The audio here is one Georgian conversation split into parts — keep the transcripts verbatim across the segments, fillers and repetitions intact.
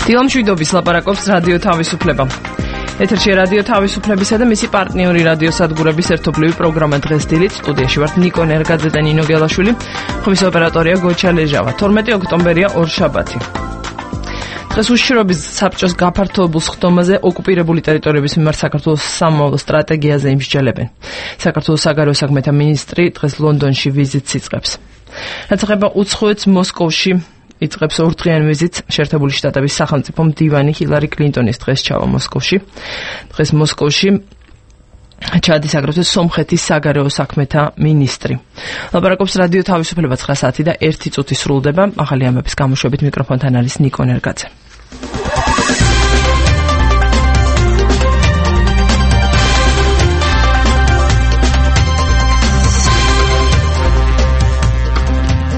დილამშვიდობის ლაპარაკობს რადიო თავისუფლება. ეთერში რადიო თავისუფლებისა და მისი პარტნიორი რადიოსადგურების ერთობლივი პროგრამა დღეს დილით. სტუდიაში ვართ ნიკო ნერგაძე და ნინო გელაშვილი. ხმის ოპერატორია გოჩა ლეჟავა. თორმეტი ოქტომბერია ორშაბათი. დღეს უშიშროების საბჭოს გაფართოებულ სხდომაზე ოკუპირებული ტერიტორიების მიმართ საქართველოს სამომავლო სტრატეგიაზე იმსჯელებენ. საქართველოს საგარეო საქმეთა მინისტრი დღეს ლონდონში ვიზიტს იწყებს. რაც ეხება უცხოეთს, მოსკოვში იწყებს ორდღიანი ვიზიტს შეერთებული შტატების სახელმწიფო მდივანი ჰილარი კლინტონის დღეს ჩავა მოსკოვში. დღეს მოსკოვში ჩადის აგრეთვე სომხეთის საგარეო საქმეთა მინისტრი. ლაპარაკობს რადიო თავისუფლება ცხრა საათი და ერთი წუთი სრულდება. ახალი ამბების გამოშვებით მიკროფონთან არის ნიკო ნერგაძე.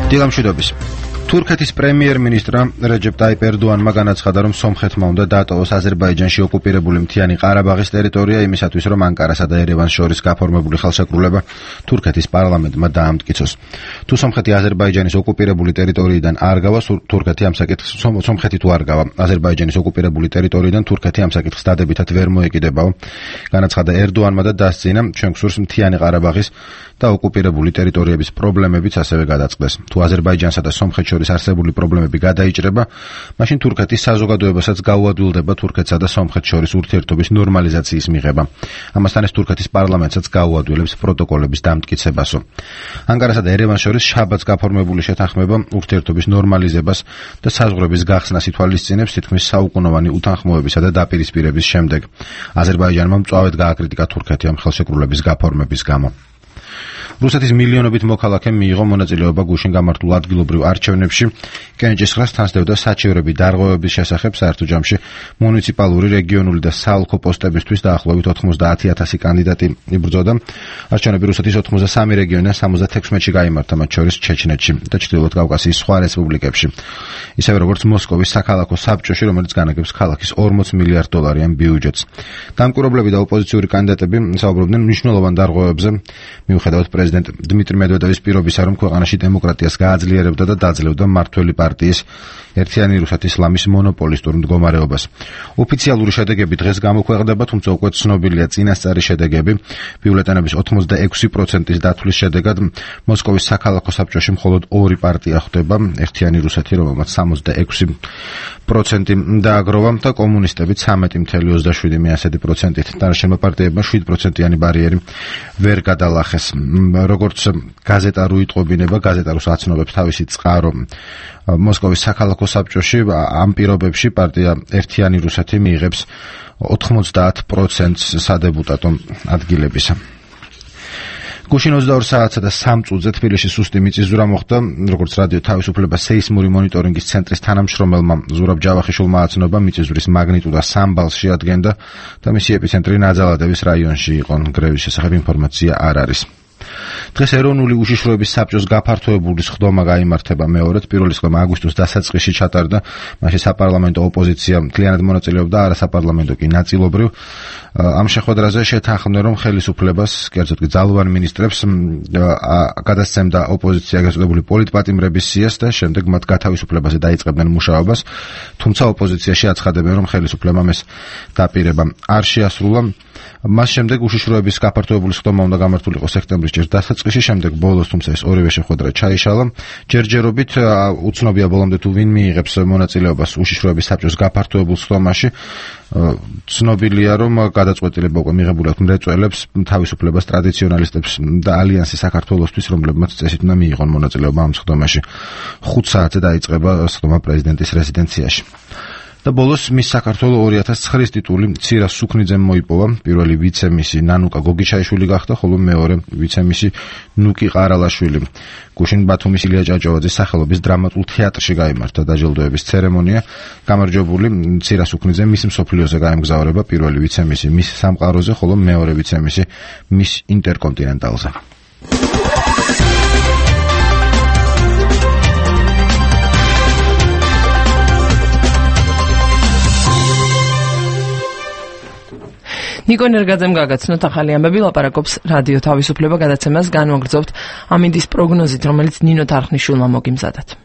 დილამშვიდობის. თურქეთის პრემიერ-მინისტრმა რეჯეპ ტაიპ ერდოანმა განაცხადა, რომ სომხეთმა უნდა დატოვოს აზერბაიჯანში ოკუპირებული მთიანი ყარაბაღის ტერიტორია იმისათვის, რომ ანკარასა და ერევანს შორის გაფორმებული ხელშეკრულება თურქეთის პარლამენტმა დაამტკიცოს. თუ სომხეთი აზერბაიჯანის ოკუპირებული ტერიტორიიდან არ გავა, თურქეთი ამ საკითხს სომხეთი თუ არ გავა აზერბაიჯანის ოკუპირებული ტერიტორიიდან თურქეთი ამ საკითხს დადებითად ვერ მოეკიდებაო. განაცხადა ერდოანმა და დასძინა, ჩვენ გსურს მთიანი ყარაბაღის და ოკუპირებული ტერიტორიების პრობლემებიც ასევე გადაწყდეს. თუ აზერბაიჯანსა და სომხეთს შორის არსებული პრობლემები გადაიჭრება, მაშინ თურქეთის საზოგადოებასაც გაუადვილდება თურქეთსა და სომხეთს შორის ურთიერთობის ნორმალიზაციის მიღება. ამასთან ეს თურქეთის პარლამენტსაც გაუადვილებს პროტოკოლების დამტკიცებასო. ანკარასა და ერევანს შორის შაბათს გაფორმებული შეთანხმება ურთიერთობის ნორმალიზებას და საზღვრების გახსნას ითვალისწინებს თითქმის საუკუნოვანი უთანხმოებისა და დაპირისპირების შემდეგ. აზერბაიჯანმა მწვავედ გააკრიტიკა თურქეთი ამ ხელშეკრულების გაფორმების გამო. რუსეთის მილიონობით მოქალაქემ მიიღო მონაწილეობა გუშინ გამართულ ადგილობრივ არჩევნებში. კენჭისყრას თანსდევდა საჩივრები დარღვევების შესახებ. საერთო ჯამში მუნიციპალური, რეგიონული და საოლქო პოსტებისთვის დაახლოებით ოთხმოცდაათი ათასი კანდიდატი იბრძოდა. არჩევნები რუსეთის ოცდასამი რეგიონიდან სამოცდათექვსმეტში გაიმართა, მათ შორის ჩეჩნეთში და ჩრდილოეთ კავკასიის სხვა რესპუბლიკებში. ისევე როგორც მოსკოვის საქალაქო საბჭოში, რომელიც განაგებს ქალაქის ორმოც მილიარდ დოლარიან ბიუჯეტს. დამკვირვებლები და ოპოზიციური კანდიდატები საუბრობდნენ მნიშვნელოვან დარღვევებზე, მიუხედავად პრეზიდენტ დმიტრი მედვედევის პირობისა, რომ ქვეყანაში დემოკრატიას გააძლიერებდა და დაძლევდა მმართველი პარტიის ერთიანი რუსეთის ლამის მონოპოლისტურ მდგომარეობას. ოფიციალური შედეგები დღეს გამოქვეყნდება, თუმცა უკვე ცნობილია წინასწარი შედეგები. ბიულეტენების ოცდაექვსი პროცენტის დათვლის შედეგად მოსკოვის საქალაქო საბჭოში მხოლოდ ორი პარტია ხვდება, ერთიანი რუსეთი, რომელმაც სამოცდაექვსი პროცენტი დააგროვა და კომუნისტები ცამეტი წუთი ოცდაშვიდი პროცენტით. დანარჩენმა პარტიებმა შვიდ პროცენტიანი ბარიერი ვერ გადალახეს. როგორც გაზეტა რუიტყობინება, გაზეტა რუს აცნობებს თავისი წყარო მოსკოვის საქალაქო საბჭოში, ამ პირობებში პარტია ერთიანი რუსეთი მიიღებს ოთხმოცდაათ პროცენტს სადებუტატო ადგილებისა. გუშინ ოცდაორ საათსა და სამ წუთზე თბილისში სუსტი მიწისძვრა მოხდა. როგორც რადიო თავისუფლება სეისმური მონიტორინგის ცენტრის თანამშრომელმა ზურაბ ჯავახიშვილმა აცნობა, მიწისძვრის მაგნიტუდა სამ ბალს შეადგენდა და მისი ეპიცენტრი ნაძალადევის რაიონში იყო. გრევის შესახებ ინფორმაცია არ არის. დღეს ეროვნული უშიშროების საბჭოს გაფართოებული სხდომა გაიმართება მეორედ. პირველი სხდომა აგვისტოს დასაწყისში ჩატარდა. მაშინ საპარლამენტო ოპოზიცია მთლიანად მონაწილეობდა, არასაპარლამენტო კი ნაწილობრივ. ამ შეხვედრაზე შეთანხმდნენ, რომ ხელისუფლებას, კერძოდ კი ძალოვან მინისტრებს გადასცემდა ოპოზიცია გაწოდებული პოლიტპატიმრების სიას და შემდეგ მათ გათავისუფლებაზე დაიწყებდნენ მუშაობას. თუმცა ოპოზიციაში აცხადებენ, რომ ხელისუფლებამ ეს დაპირება არ შეასრულა. მას შემდეგ უშიშროების გაფართოებული სხდომა უნდა გამართულიყო სექტემბრის ჯერ დასაწყისში, შემდეგ ბოლოს, თუმცა ეს ორივე შეხვედრა ჩაიშალა. ჯერჯერობით უცნობია ბოლომდე თუ ვინ მიიღებს მონაწილეობას უშიშროების საბჭოს გაფართოებულ სხდომაში. ცნობილია, რომ გადაწყვეტილება უკვე მიღებული აქვს მრეწველებს, თავისუფლებას, ტრადიციონალისტებს და ალიანსი საქართველოსთვის, რომლებმაც წესით უნდა მიიღონ მონაწილეობა ამ სხდომაში. ხუთ საათზე დაიწყება სხდომა პრეზიდენტის რეზიდენციაში. და ბოლოს მის საქართველოს ორი ათას ცხრის ტიტული ცირა სუქნიძემ მოიპოვა. პირველი ვიცე-მისი ნანუკა გოგიჩაიშვილი გახდა, ხოლო მეორე ვიცე-მისი ნუკი ყარალაშვილი. გუშინ ბათუმის ილია ჭავჭავაძის სახელობის დრამატულ თეატრში გაიმართა დაჯილდოების ცერემონია. გამარჯვებული ცირა სუქნიძე მის მსოფლიოზე გაემგზავრება, პირველი ვიცე-მისი მის სამყაროზე, ხოლო მეორე ვიცე-მისი მის ინტერკონტინენტალზე. ნიკო ნერგაძემ გაგაცნოთ ახალი ამბები, ლაპარაკობს რადიო თავისუფლება, გადაცემას განვაგრძობთ ამინდის პროგნოზით, რომელიც ნინო თარხნიშვილმა მოგიმზადათ.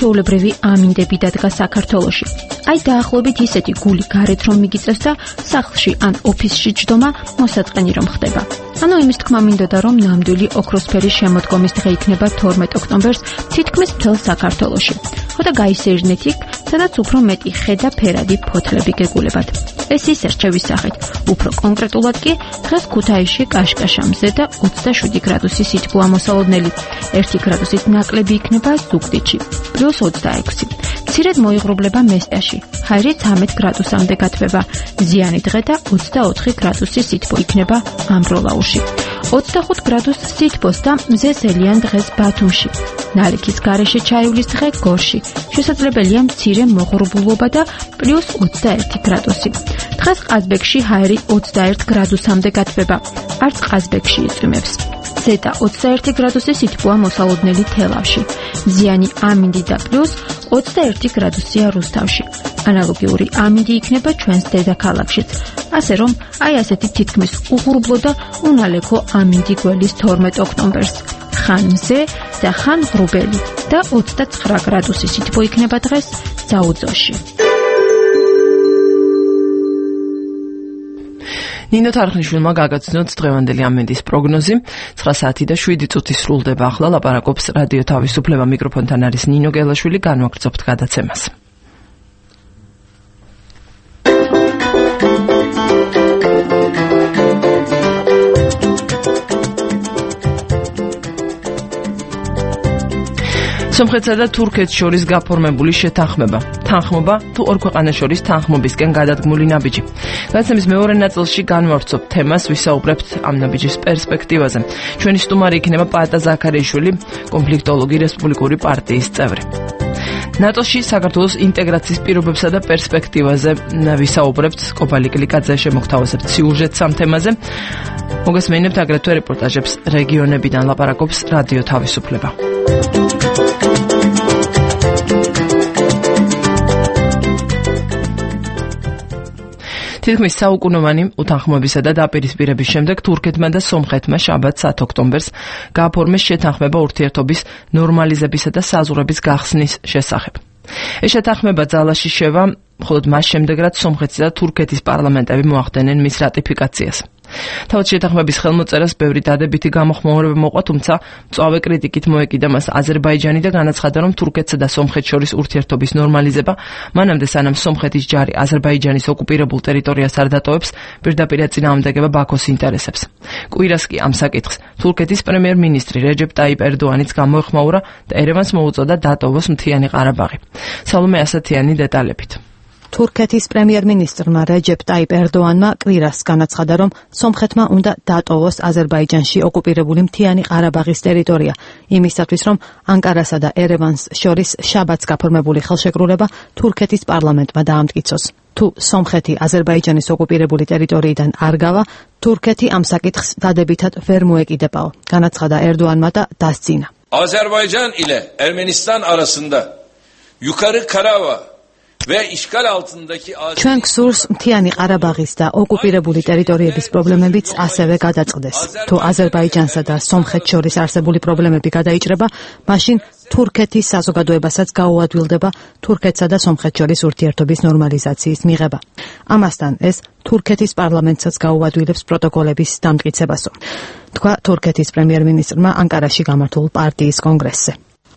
ჩვეულებრივი ამინდები დადგა საქართველოში. Აი დაახლოებით ისეთი გული გარეთ რომ მიგიწევს და სახლში ან ოფისში ჯდომა მოსაწყენი რომ ხდება. ანუ იმის თქმა მინდოდა რომ ნამდვილი ოქროსფერის შემოდგომის დღე იქნება თორმეტ ოქტომბერს თითქმის მთელ საქართველოში. ხოდა გაისერნეთ იქ, სადაც უფრო მეტი ხე და ფერადი ფოთლები გეგულებათ. ეს ის რჩევის სახით. უფრო კონკრეტულად კი დღეს ქუთაისში კაშკაშამზე და ოცდაშვიდი გრადუსი სითბოა მოსალოდნელი. ერთი გრადუსით ნაკლები იქნება ზუგდიდში, პლუს ოცდაექვსი. მცირედ მოიღრუბლება მესტიაში, ჰაერი ცამეტ გრადუსამდე გათბება. ზიანი დღე და ოცდაოთხი გრადუსი სითბო იქნება ამბროლაურში. ოცდახუთ გრადუსს სითბოს და მზესელიან დღეს ბათუმში. ნალექის გარეშე ჩაივლის დღე გორში. შესაძლებელია მცირე მოღრუბლობა და პლუს ოცდაერთი გრადუსი. დღეს ყაზბეგში ჰაერი ოცდაერთ გრადუსამდე გათბება. არც ყაზბეგში იწვიმებს. ზედა ოცდაერთი გრადუსი სითბოა მოსალოდნელი თელავში. ზიანი ამინდი და პლუს ოცდაერთი გრადუსია რუსთავში. ანალოგიური ამინდი იქნება ჩვენს დედაქალაქშიც. ასე რომ, აი ასეთი თითქმის უღრუბლო და უნალექო ამინდი გველის თორმეტ ოქტომბერს. ხან მზე და ხან ღრუბელი და ოცდაცხრა გრადუსი სითბო იქნება დღეს ზაუძოში. ნინო თარხნიშვილმა გაგაცნოთ დღევანდელი ამინდის პროგნოზი. ცხრა საათი და შვიდი წუთი სრულდება ახლა. ლაპარაკობს რადიო თავისუფლება, მიკროფონთან არის ნინო გელაშვილი. განვაგრძობთ გადაცემას. სომხეთსა და თურქეთს შორის გაფორმებული შეთანხმება. თანხმობა თუ ორ ქვეყანას შორის თანხმობისკენ გადადგმული ნაბიჯი. გადაცემის მეორე ნაწილში განვავრცობთ თემას, ვისაუბრებთ ამ ნაბიჯის პერსპექტივაზე. ჩვენი სტუმარი იქნება პაატა ზაქარიაშვილი, კონფლიქტოლოგი, რესპუბლიკური პარტიის წევრი. ნატოში საქართველოს ინტეგრაციის პირობებსა და პერსპექტივაზე ვისაუბრებთ. კობალი კლიკაძე შემოგთავაზებთ სიუჟეტს ამ თემაზე. მოგესმენებთ აგრეთვე რეპორტაჟებს რეგიონებიდან. ლაპარაკობს რადიო თავისუფლება. თითქმის საუკუნოვანი უთანხმოებისა და დაპირისპირების შემდეგ თურქეთმა და სომხეთმა შაბათ საათ ოქტომბერს გააფორმეს შეთანხმება ურთიერთობის ნორმალიზებისა და საზღვრების გახსნის შესახებ. ეს შეთანხმება ძალაში შევა მხოლოდ მას შემდეგ, რაც სომხეთის და თურქეთის პარლამენტები მოახდენენ მის რატიფიკაციას. თავად შეთანხმების ხელმოწერას ბევრი დადებითი გამოხმაურება მოყვა, თუმცა მწვავე კრიტიკით მოეკიდა მას აზერბაიჯანი და განაცხადა, რომ თურქეთსა და სომხეთს შორის ურთიერთობის ნორმალიზება მანამდე სანამ სომხეთის ჯარი აზერბაიჯანის ოკუპირებულ ტერიტორიას არ დატოვებს, პირდაპირ ეწინააღმდეგება ბაქოს ინტერესებს. კვირას კი ამ საკითხს თურქეთის პრემიერ-მინისტრი რეჯეპ ტაიპ ერდოანიც გამოეხმაურა და ერევანს მოუწოდა დატოვოს მთიანი ყარაბაღი. სალომე ასათიანი დეტალებით. თურქეთის პრემიერ-მინისტრმა რეჯეპ ტაიპ ერდოანმა კვირას განაცხადა, რომ სომხეთმა უნდა დატოვოს აზერბაიჯანში ოკუპირებული მთიანი ყარაბაღის ტერიტორია, იმისათვის, რომ ანკარასა და ერევანს შორის შაბათს გაფორმებული ხელშეკრულება თურქეთის პარლამენტმა დაამტკიცოს. თუ სომხეთი აზერბაიჯანის ოკუპირებული ტერიტორიიდან არ გავა, თურქეთი ამ საკითხს დადებითად ვერ მოეკიდებაო, განაცხადა ერდოანმა და დასძინა. Azerbaycan ile Ermenistan arasında yukarı Karabağ ჩვენ გსურს მთიანი ყარაბაღის და ოკუპირებული ტერიტორიების პრობლემებიც ასევე გადაწყდეს. თუ აზერბაიჯანსა და სომხეთს შორის არსებული პრობლემები გადაიჭრება, მაშინ თურქეთის საზოგადოებასაც გაუადვილდება თურქეთსა და სომხეთს შორის ურთიერთობის ნორმალიზაციის მიღება. ამასთან ეს თურქეთის პარლამენტსაც გაუადვილებს პროტოკოლების დამტკიცებასო, თქვა თურქეთის პრემიერ-მინისტრმა ანკარაში გამართულ პარტიის კონგრესზე.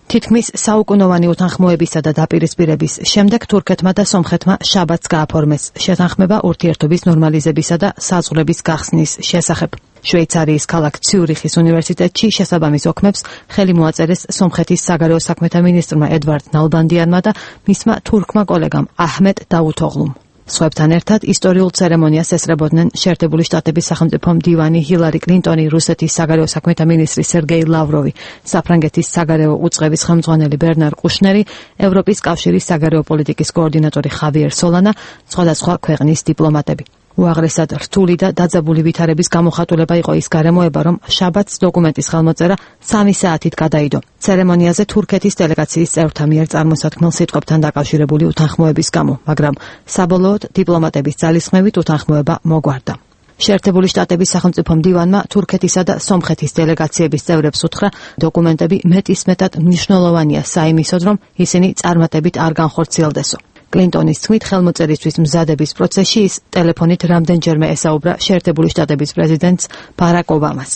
თითქმის საუკუნოვანი უთანხმოებისა და დაპირისპირების შემდეგ თურქეთმა და სომხეთმა შაბათს გააფორმეს შეთანხმება ურთიერთობის ნორმალიზებისა და საზღვრების გახსნის შესახებ. შვეიცარიის ქალაქ ციურიხის უნივერსიტეტში შესაბამის ოქმებს ხელი მოაწერეს სომხეთის საგარეო საქმეთა მინისტრმა ედვარდ ნალბანდიანმა და მისმა თურქმა კოლეგამ აჰმედ დავუთოღლუმ. სხვებთან ერთად ისტორიულ ცერემონიას ესწრებოდნენ შეერთებული შტატების სახელმწიფო მდივანი ჰილარი კლინტონი, რუსეთის საგარეო საქმეთა მინისტრი სერგეი ლავროვი, საფრანგეთის საგარეო უწყების ხელმძღვანელი ბერნარ კუშნერი, ევროპის კავშირის საგარეო პოლიტიკის კოორდინატორი ხავიერ სოლანა, სხვადასხვა ქვეყნის დიპლომატები. უაღრესად რთული და დაძაბული ვითარების გამოხატულება იყო ის გარემოება, რომ შაბათს დოკუმენტის ხელმოწერა სამი საათით გადაიდო. ცერემონიაზე თურქეთის დელეგაციის წევრთა მიერ წარმოსათქმელ სიტყვებთან დაკავშირებული უთანხმოების გამო, მაგრამ საბოლოოდ დიპლომატების ძალისხმევით უთანხმოება მოგვარდა. შეერთებული შტატების სახელმწიფო მდივანმა თურქეთისა და სომხეთის დელეგაციების წევრებს უთხრა, დოკუმენტები მეტისმეტად მნიშვნელოვანია საიმისოდ, რომ ისინი წარმატებით არ განხორციელდესო. კლინტონის თქმით, ხელმოწერისთვის მზადების პროცესში ის ტელეფონით რამდენჯერმე ესაუბრა შეერთებული შტატების პრეზიდენტს ბარაკ ობამას.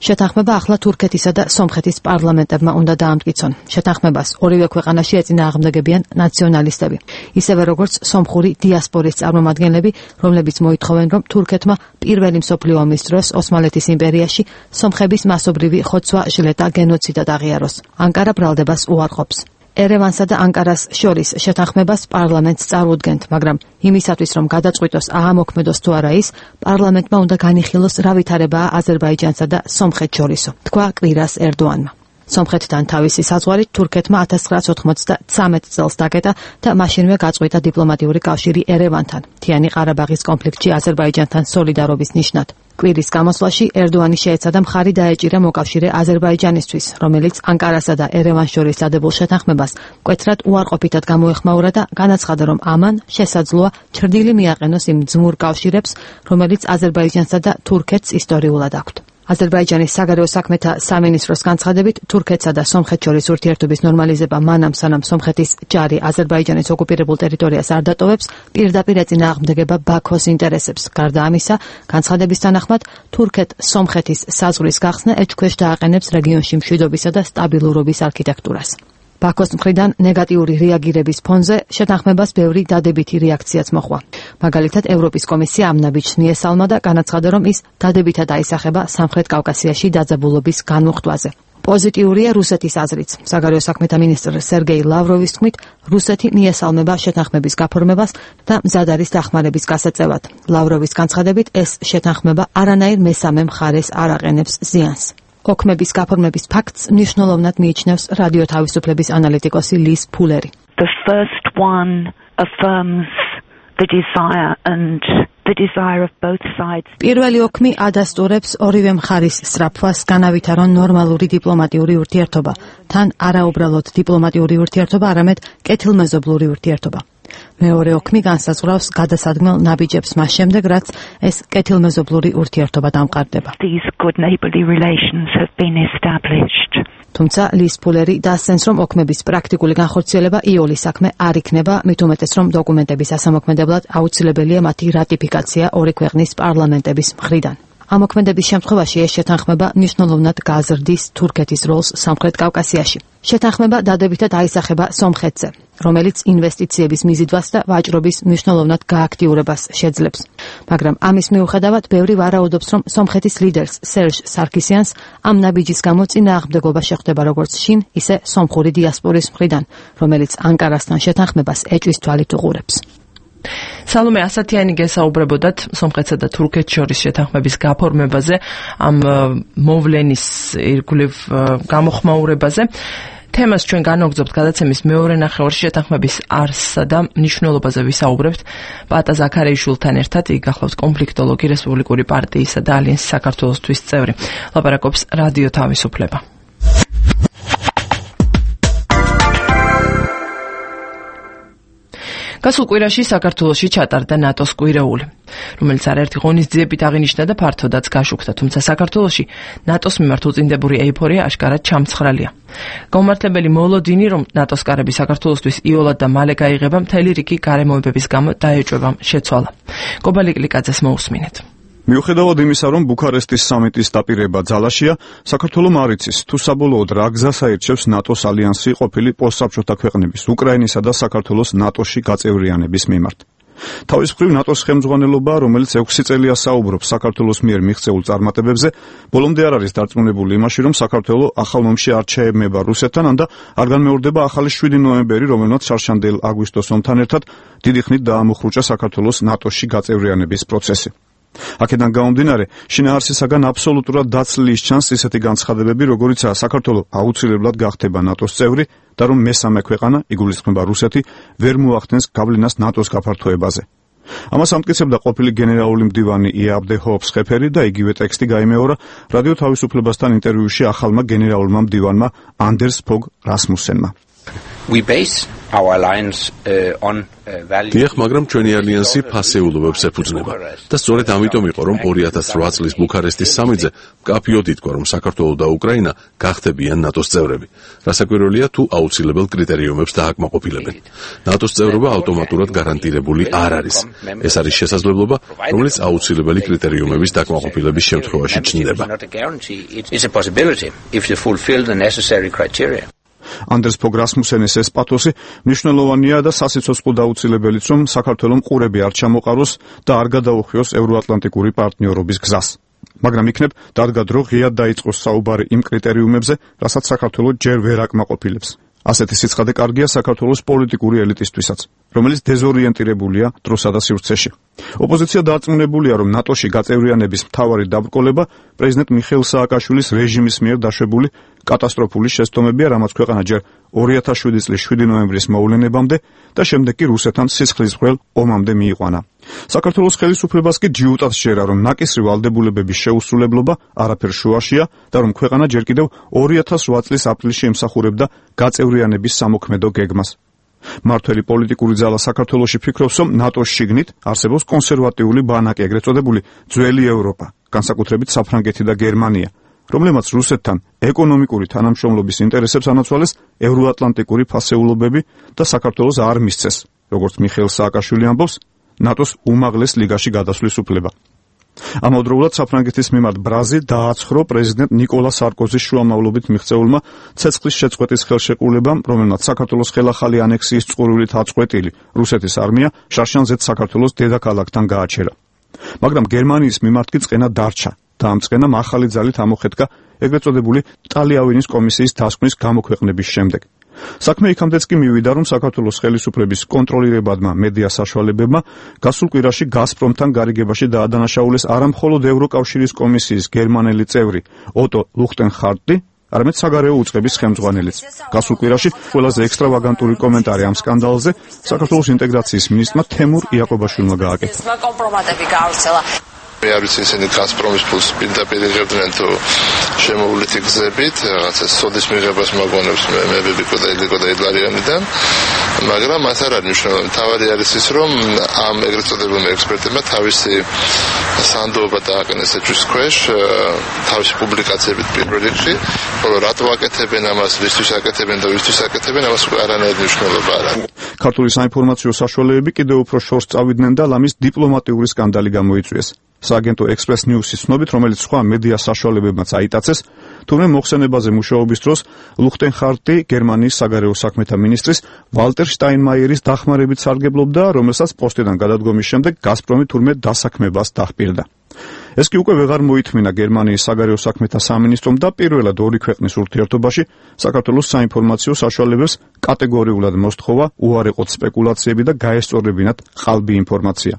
შეთანხმება ახლა თურქეთისა და სომხეთის პარლამენტებმა უნდა დაამტკიცონ. შეთანხმებას ორივე ქვეყანაში ეწინააღმდეგებიან ნაციონალისტები, ისევე როგორც სომხური დიასპორის წარმომადგენლები, რომლებიც მოითხოვენ, რომ თურქეთმა პირველი მსოფლიო ომის დროს ოსმალეთის იმპერიაში სომხების მასობრივი ხოცვა, ჟლეტა, გენოციდად აღიაროს. ანკარა ბრალდებას უარყოფს. ერევანსა და ანკარას შორის შეთანხმებას პარლამენტს წარუდგენთ, მაგრამ იმისათვის, რომ გადაწყვიტოს აამოქმედოს თუ არა ის, პარლამენტმა უნდა განიხილოს რა ვითარებაა აზერბაიჯანსა და სომხეთს შორისო, თქვა კვირას ერდოანმა. სომხეთთან თავისი საზღვარით თურქეთმა ათას ცხრაასი ოთხმოცდათრამეტ წელს დაკეტა და მაშინვე გაწყვიტა დიპლომატიური კავშირი ერევანთან, მთიანი ყარაბაღის კონფლიქტში აზერბაიჯანთან სოლიდარობის ნიშნად. კვირის გამოსვლაში ერდოანი შეეცადა მხარი დაეჭირა მოკავშირე აზერბაიჯანისთვის, რომელიც ანკარასა და ერევანს შორის დადებულ შეთანხმებას მკვეთრად უარყოფითად გამოეხმაურა და განაცხადა, რომ ამან შესაძლოა ჩრდილი მიაყენოს იმ ძმურ კავშირებს, რომელიც აზერბაიჯანსა და თურქეთს ისტორიულად აქვთ. აზერბაიჯანის საგარეო საქმეთა სამინისტროს განცხადებით, თურქეთსა და სომხეთს შორის ურთიერთობის ნორმალიზება მანამ სანამ სომხეთის ჯარი აზერბაიჯანის ოკუპირებულ ტერიტორიას არ დატოვებს, პირდაპირ ეწინააღმდეგება ბაქოს ინტერესებს. გარდა ამისა, განცხადების თანახმად, თურქეთ-სომხეთის საზღვრის გახსნა ეჭქვეშ დააყენებს რეგიონში მშვიდობისა და სტაბილურობის არქიტექტურას. ბაქოს მხრიდან ნეგატიური რეაგირების ფონზე შეთანხმებას ბევრი დადებითი რეაქციაც მოჰყვა. მაგალითად, ევროპის კომისია ამ ნაბიჯს მიესალმა და განაცხადა, რომ ის დადებითად აისახება სამხრეთ კავკასიაში დაძაბულობის განმუხტვაზე. პოზიტიურია რუსეთის აზრიც. საგარეო საქმეთა მინისტრ სერგეი ლავროვის თქმით, რუსეთი მიესალმება შეთანხმების გაფორმებას და მზად არის დახმარების გასაწევად. ლავროვის განცხადებით, ეს შეთანხმება არანაირ მესამე მხარეს არ აყენებს ზიანს. ოქმების გაფორმების ფაქტს მნიშვნელოვნად მიიჩნევს რადიო თავისუფლების ანალიტიკოსი ლის ფულერი. The first one affirms the desire and the desire of both sides. პირველი ოქმი ადასტურებს ორივე მხარის სწრაფვას განავითარონ ნორმალური დიპლომატიური ურთიერთობა, თან არაუბრალოდ დიპლომატიური ურთიერთობა, არამედ კეთილმეზობლური ურთიერთობა. მეორე ოქმი განსაზღვრავს გადასადგმელ ნაბიჯებს მას შემდეგ, რაც ეს კეთილმეზობლური ურთიერთობა დამყარდება. These good neighborly relations have been established. თუმცა ლის ფულერი დასცენს, რომ ოქმების პრაქტიკული განხორციელება იოლის საქმე არ იქნება, მით უმეტეს, რომ დოკუმენტების ასამოქმედებლად აუცილებელია მათი რატიფიკაცია ორი ქვეყნის პარლამენტების მხრიდან. ამოქმედების შემთხვევაში ეს შეთანხმება მნიშვნელოვნად გაზრდის თურქეთის როლს სამხრეთ კავკასიაში. შეთანხმება დადებითად აისახება სომხეთზე, რომელიც ინვესტიციების მიზიდვას და ვაჭრობის მნიშვნელოვნად გააქტიურებას შეძლებს. მაგრამ ამის მიუხედავად, ბევრი ვარაუდობს, რომ სომხეთის ლიდერს სერჟ სარქისიანს ამ ნაბიჯის გამო წინააღმდეგობა შეხვდება როგორც შინ, ისე სომხური დიასპორის მხრიდან, რომელიც ანკარასთან შეთანხმებას ეჭვის თვალით უყურებს. სალომე ასათიანი გესაუბრებოდათ სომხეთსა და თურქეთს შორის შეთანხმების გაფორმებაზე, ამ მოვლენის ირგვლივ გამოხმაურებაზე. თემას ჩვენ განვაგრძობთ გადაცემის მეორე ნახევარში შეთანხმების არსსა და მნიშვნელობაზე ვისაუბრებთ პატა ზაქარეიშვილთან ერთად. იგი გახლავს კონფლიქტოლოგი, რესპუბლიკური პარტიისა და ალიანსის საქართველოსთვის წევრი. ლაპარაკობს რადიო თავისუფლება. გასულ კვირაში საქართველოში ჩატარდა ნატოს კვირეული, რომელიც არაერთი ღონისძიებით აღინიშნა და ფართოდაც გაშუქდა, თუმცა საქართველოში ნატოს მიმართ უწინდებული ეიფორია აშკარად ჩამცხრალია. გამართლებელი მოლოდინი, რომ ნატოს კარები საქართველოსთვის იოლად და მალე გაიღება, მთელი რიგი გარემოებების გამო დაეჭვება შეცვალა. კობალი კლიკაძეს მოусმინეთ. მიუხედავად იმისა, რომ ბუქარესტის სამიტის დაპირება ძალაშია, საქართველოს არ იცის, თუ საბოლოოდ რა გზას აირჩევს ნატოს ალიანსი ყოფილი პოსტსაბჭოთა ქვეყნების, უკრაინისა და საქართველოს ნატოში გაწევრიანების მიმართ. თავის მხრივ ნატოს ხელმძღვანელობა, რომელიც ექვსი წელია საუბრობს საქართველოს მიერ მიღწეულ წარმატებებზე, ბოლომდე არ არის დარწმუნებული იმაში, რომ საქართველო ახალ ომში არ ჩაებმება რუსეთთან, ანდა არ განმეორდება ახალი შვიდი ნოემბერი, რომელმაც შარშანდელ აგვისტოს ომთან ერთად დიდი ხნით დაამოხრუჭა საქართველოს ნატოში გაწევრიანების პროცესი. აქედან გამომდინარე, შინაარსისაგან აბსოლუტურად დაცლილი ჩანს ისეთი განცხადებები, როგორიცაა საქართველო აუცილებლად გახდება ნატოს წევრი და რომ მესამე ქვეყანა, იგულისხმება რუსეთი, ვერ მოახდენს გავლენას ნატოს გაფართოებაზე. ამას ამტკიცებდა ყოფილი გენერალური მდივანი იაბდე ჰოფსხეფერი და იგივე ტექსტი გაიმეორა რადიო თავისუფლებასთან ინტერვიუში ახალმა გენერალურმა მდივანმა ანდერს ფოგ რასმუსენმა. We base our alliance uh, on value. დიახ, მაგრამ ჩვენი ალიანსი ფასეულობებს ეფუძნება და სწორედ ამიტომ იყო, რომ ორი ათას ოთხ წლის ბუქარესტის სამიტზე მკაფიოდ ითქვა, რომ საქართველო და უკრაინა გახდებიან ნატოს წევრები. რასაკვირველია, თუ აუცილებელ კრიტერიუმებს დააკმაყოფილებენ. ნატოს წევრობა ავტომატურად გარანტირებული არ არის. ეს არის შესაძლებლობა, რომელიც აუცილებელი კრიტერიუმების დაკმაყოფილების შემთხვევაში ჩნდება. It's a possibility if you fulfill the necessary criteria. ანდრეს ფოგ რასმუსენის ეს პათოსი მნიშვნელოვანია და სასიცოცხლო დაუცილებელიც, რომ საქართველოს ყურები არ ჩამოყაროს და არ გადაუხვიოს ევროატლანტიკური პარტნიორობის გზას. მაგრამ იქნებ დადგა დრო ღიად დაიწყოს საუბარი იმ კრიტერიუმებზე, რასაც საქართველოს ჯერ ვერ აკმაყოფილებს. ასეთი სიცხადე კარგია საქართველოს პოლიტიკური ელიტისთვისაც, რომელიც დეზორიენტირებულია დროსა და სივრცეში. ოპოზიცია დარწმუნებულია, რომ ნატოში გაწევრიანების მთავარი დაბრკოლება პრეზიდენტ მიხეილ სააკაშვილის რეჟიმის მიერ დაშვებული კატასტროფული შეცდომებია, რამაც ქვეყანა ჯერ ორი ათას შვიდი წლის შვიდი ნოემბრის მოვლენებამდე და შემდეგ კი რუსეთთან სისხლისმღვრელ ომამდე მიიყვანა. საქართველოს ხელისუფლებას კი ჯიუტად შეერა, რომ ნაკისრი ვალდებულებების შეუსრულებლობა არაფერ შუაშია და რომ ქვეყანა ჯერ კიდევ ორი ათას რვა წლის აპრილში ემსახურებდა გაწევრიანების სამოქმედო გეგმას. მართველი პოლიტიკური ძალა საქართველოში ფიქრობს, რომ ნატოს შიგნით არსებობს კონსერვატიული ბანაკი, ეგრეთ წოდებული ძველი ევროპა, განსაკუთრებით საფრანგეთი და გერმანია, რომლებმაც რუსეთთან ეკონომიკური თანამშრომლობის ინტერესებს ანაცვალეს ევროატლანტიკური ფასეულობები და საქართველოს არ მისცეს, როგორც მიხეილ სააკაშვილი ამბობს, ნატოს უმაღლეს ლიგაში გადასვლის უფლება. ამავდროულად საფრანგეთის მიმართ ბრაზი დააცხრა პრეზიდენტ ნიკოლა სარკოზის შუამავლობით მიღწეულმა ცეცხლის შეწყვეტის ხელშეკრულებამ, რომელმაც საქართველოს ხელახალი ანექსიის წყურვილით აწყვეტილი რუსეთის არმია შარშანზეთ საქართველოს დედაქალაქთან გააჩერა. მაგრამ გერმანიის მიმართ კი წყენა დარჩა და ამ წყენამ ახალი ძალით ამოხეთკა ეგრეთ წოდებული ტალიავინის კომისიის დასკვნის გამოქვეყნების შემდეგ. საქმე იქამდეც კი მივიდა, რომ საქართველოს ხელისუფლების კონტროლირებადმა მედია საშუალებებმა გასულ კვირაში გაზპრომთან გარიგებაში დაადანაშაულეს არა მხოლოდ ევროკავშირის კომისიის გერმანელი წევრი ოტო ლუხტენჰარტი, არამედ საგარეო უწყების ხელმძღვანელიც. გასულ კვირაში ყველაზე ექსტრავაგანტური კომენტარი ამ სკანდალზე საქართველოს ინტეგრაციის მინისტრმა თემურ იაკობაშვილმა გააკეთა. მე არ ვიცი, ისინი გაზპრომის ფულს პირდაპირ იღებდნენ თუ შემოვლითი გზებით, რაღაცა სოდის მიღებას მაგონებს მებებიკო და ილიკო და იდლარიანიდან, მაგრამ მას არ არის მნიშვნელოვანი. თავარი არის ის, რომ ამ ეგრეთ წოდებულმა ექსპერტებმა თავისი სანდოობა დააყენეს ეჭვის ქვეშ, თავისი პუბლიკაციებით პირველ რიგში, ხოლო რატო აკეთებენ ამას, ვისთვის აკეთებენ და ვისთვის აკეთებენ, ამას არანაირი მნიშვნელობა არ აქვს. ქართული საინფორმაციო საშუალებები კიდევ უფრო შორს წავიდნენ და ლამის დიპლომატიური სკანდალი გამოიწვიეს. სააგენტო ექსპრეს ნიუსის ცნობით, რომელიც სხვა მედია საშუალებებმაც აიტაცეს, თუმცა მოხსენებაზე მუშაობის დროს ლუხტენჰარტი გერმანიის საგარეო საქმეთა მინისტრის ვალტერ შტაინმაიერის დახმარებით სარგებლობდა, რომელსაც პოსტიდან გადადგომის შემდეგ გაზპრომი თურმე დასაქმებას დაჰპირდა. ეს კი უკვე ვეღარ მოითმინა გერმანიის საგარეო საქმეთა სამინისტრომ და პირველად ორი ქვეყნის ურთიერთობაში საქართველოს საინფორმაციო საშუალებებს კატეგორიულად მოსთხოვა უარეყოთ სპეკულაციები და გაესწორებინათ ყალბი ინფორმაცია.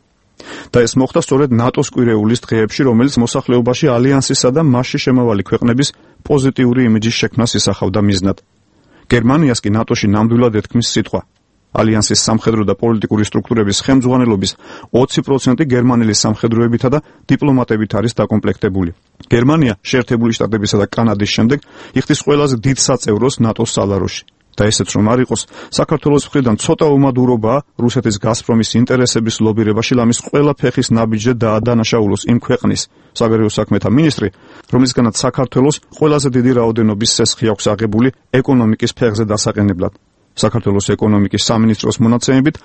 და ეს მოხდა სწორედ ნატოს კვირეულის დღეებში, რომელიც მოსახლეობაში ალიანსისა და მასში შემავალი ქვეყნების პოზიტიური იმიჯის შექმნას ისახავდა მიზნად. გერმანიას კი ნატოში ნამდვილად ეთქმის სიტყვა. ალიანსის სამხედრო და პოლიტიკური სტრუქტურების ხელმძღვანელობის ოცი პროცენტი გერმანელი სამხედროებითა და დიპლომატებით არის დაკომპლექტებული. გერმანია შეერთებული შტატებისა და კანადის შემდეგ იხდის ყველაზე დიდ საწევროს ნატოს სალაროში. და ესეც რომ არ იყოს, საქართველოს მხრიდან ცოტა უმადურობაა რუსეთის გაზპრომის ინტერესების ლობირებაში ლამის ყველა ფეხის ნაბიჯზე დაადანაშაულოს იმ ქვეყნის საგარეო საქმეთა მინისტრი, რომლისგანაც საქართველოს ყველაზე დიდი რაოდენობის სესხი აქვს აღებული ეკონომიკის ფეხზე დასაყენებლად. საქართველოს ეკონომიკის სამინისტროს მონაცემებით,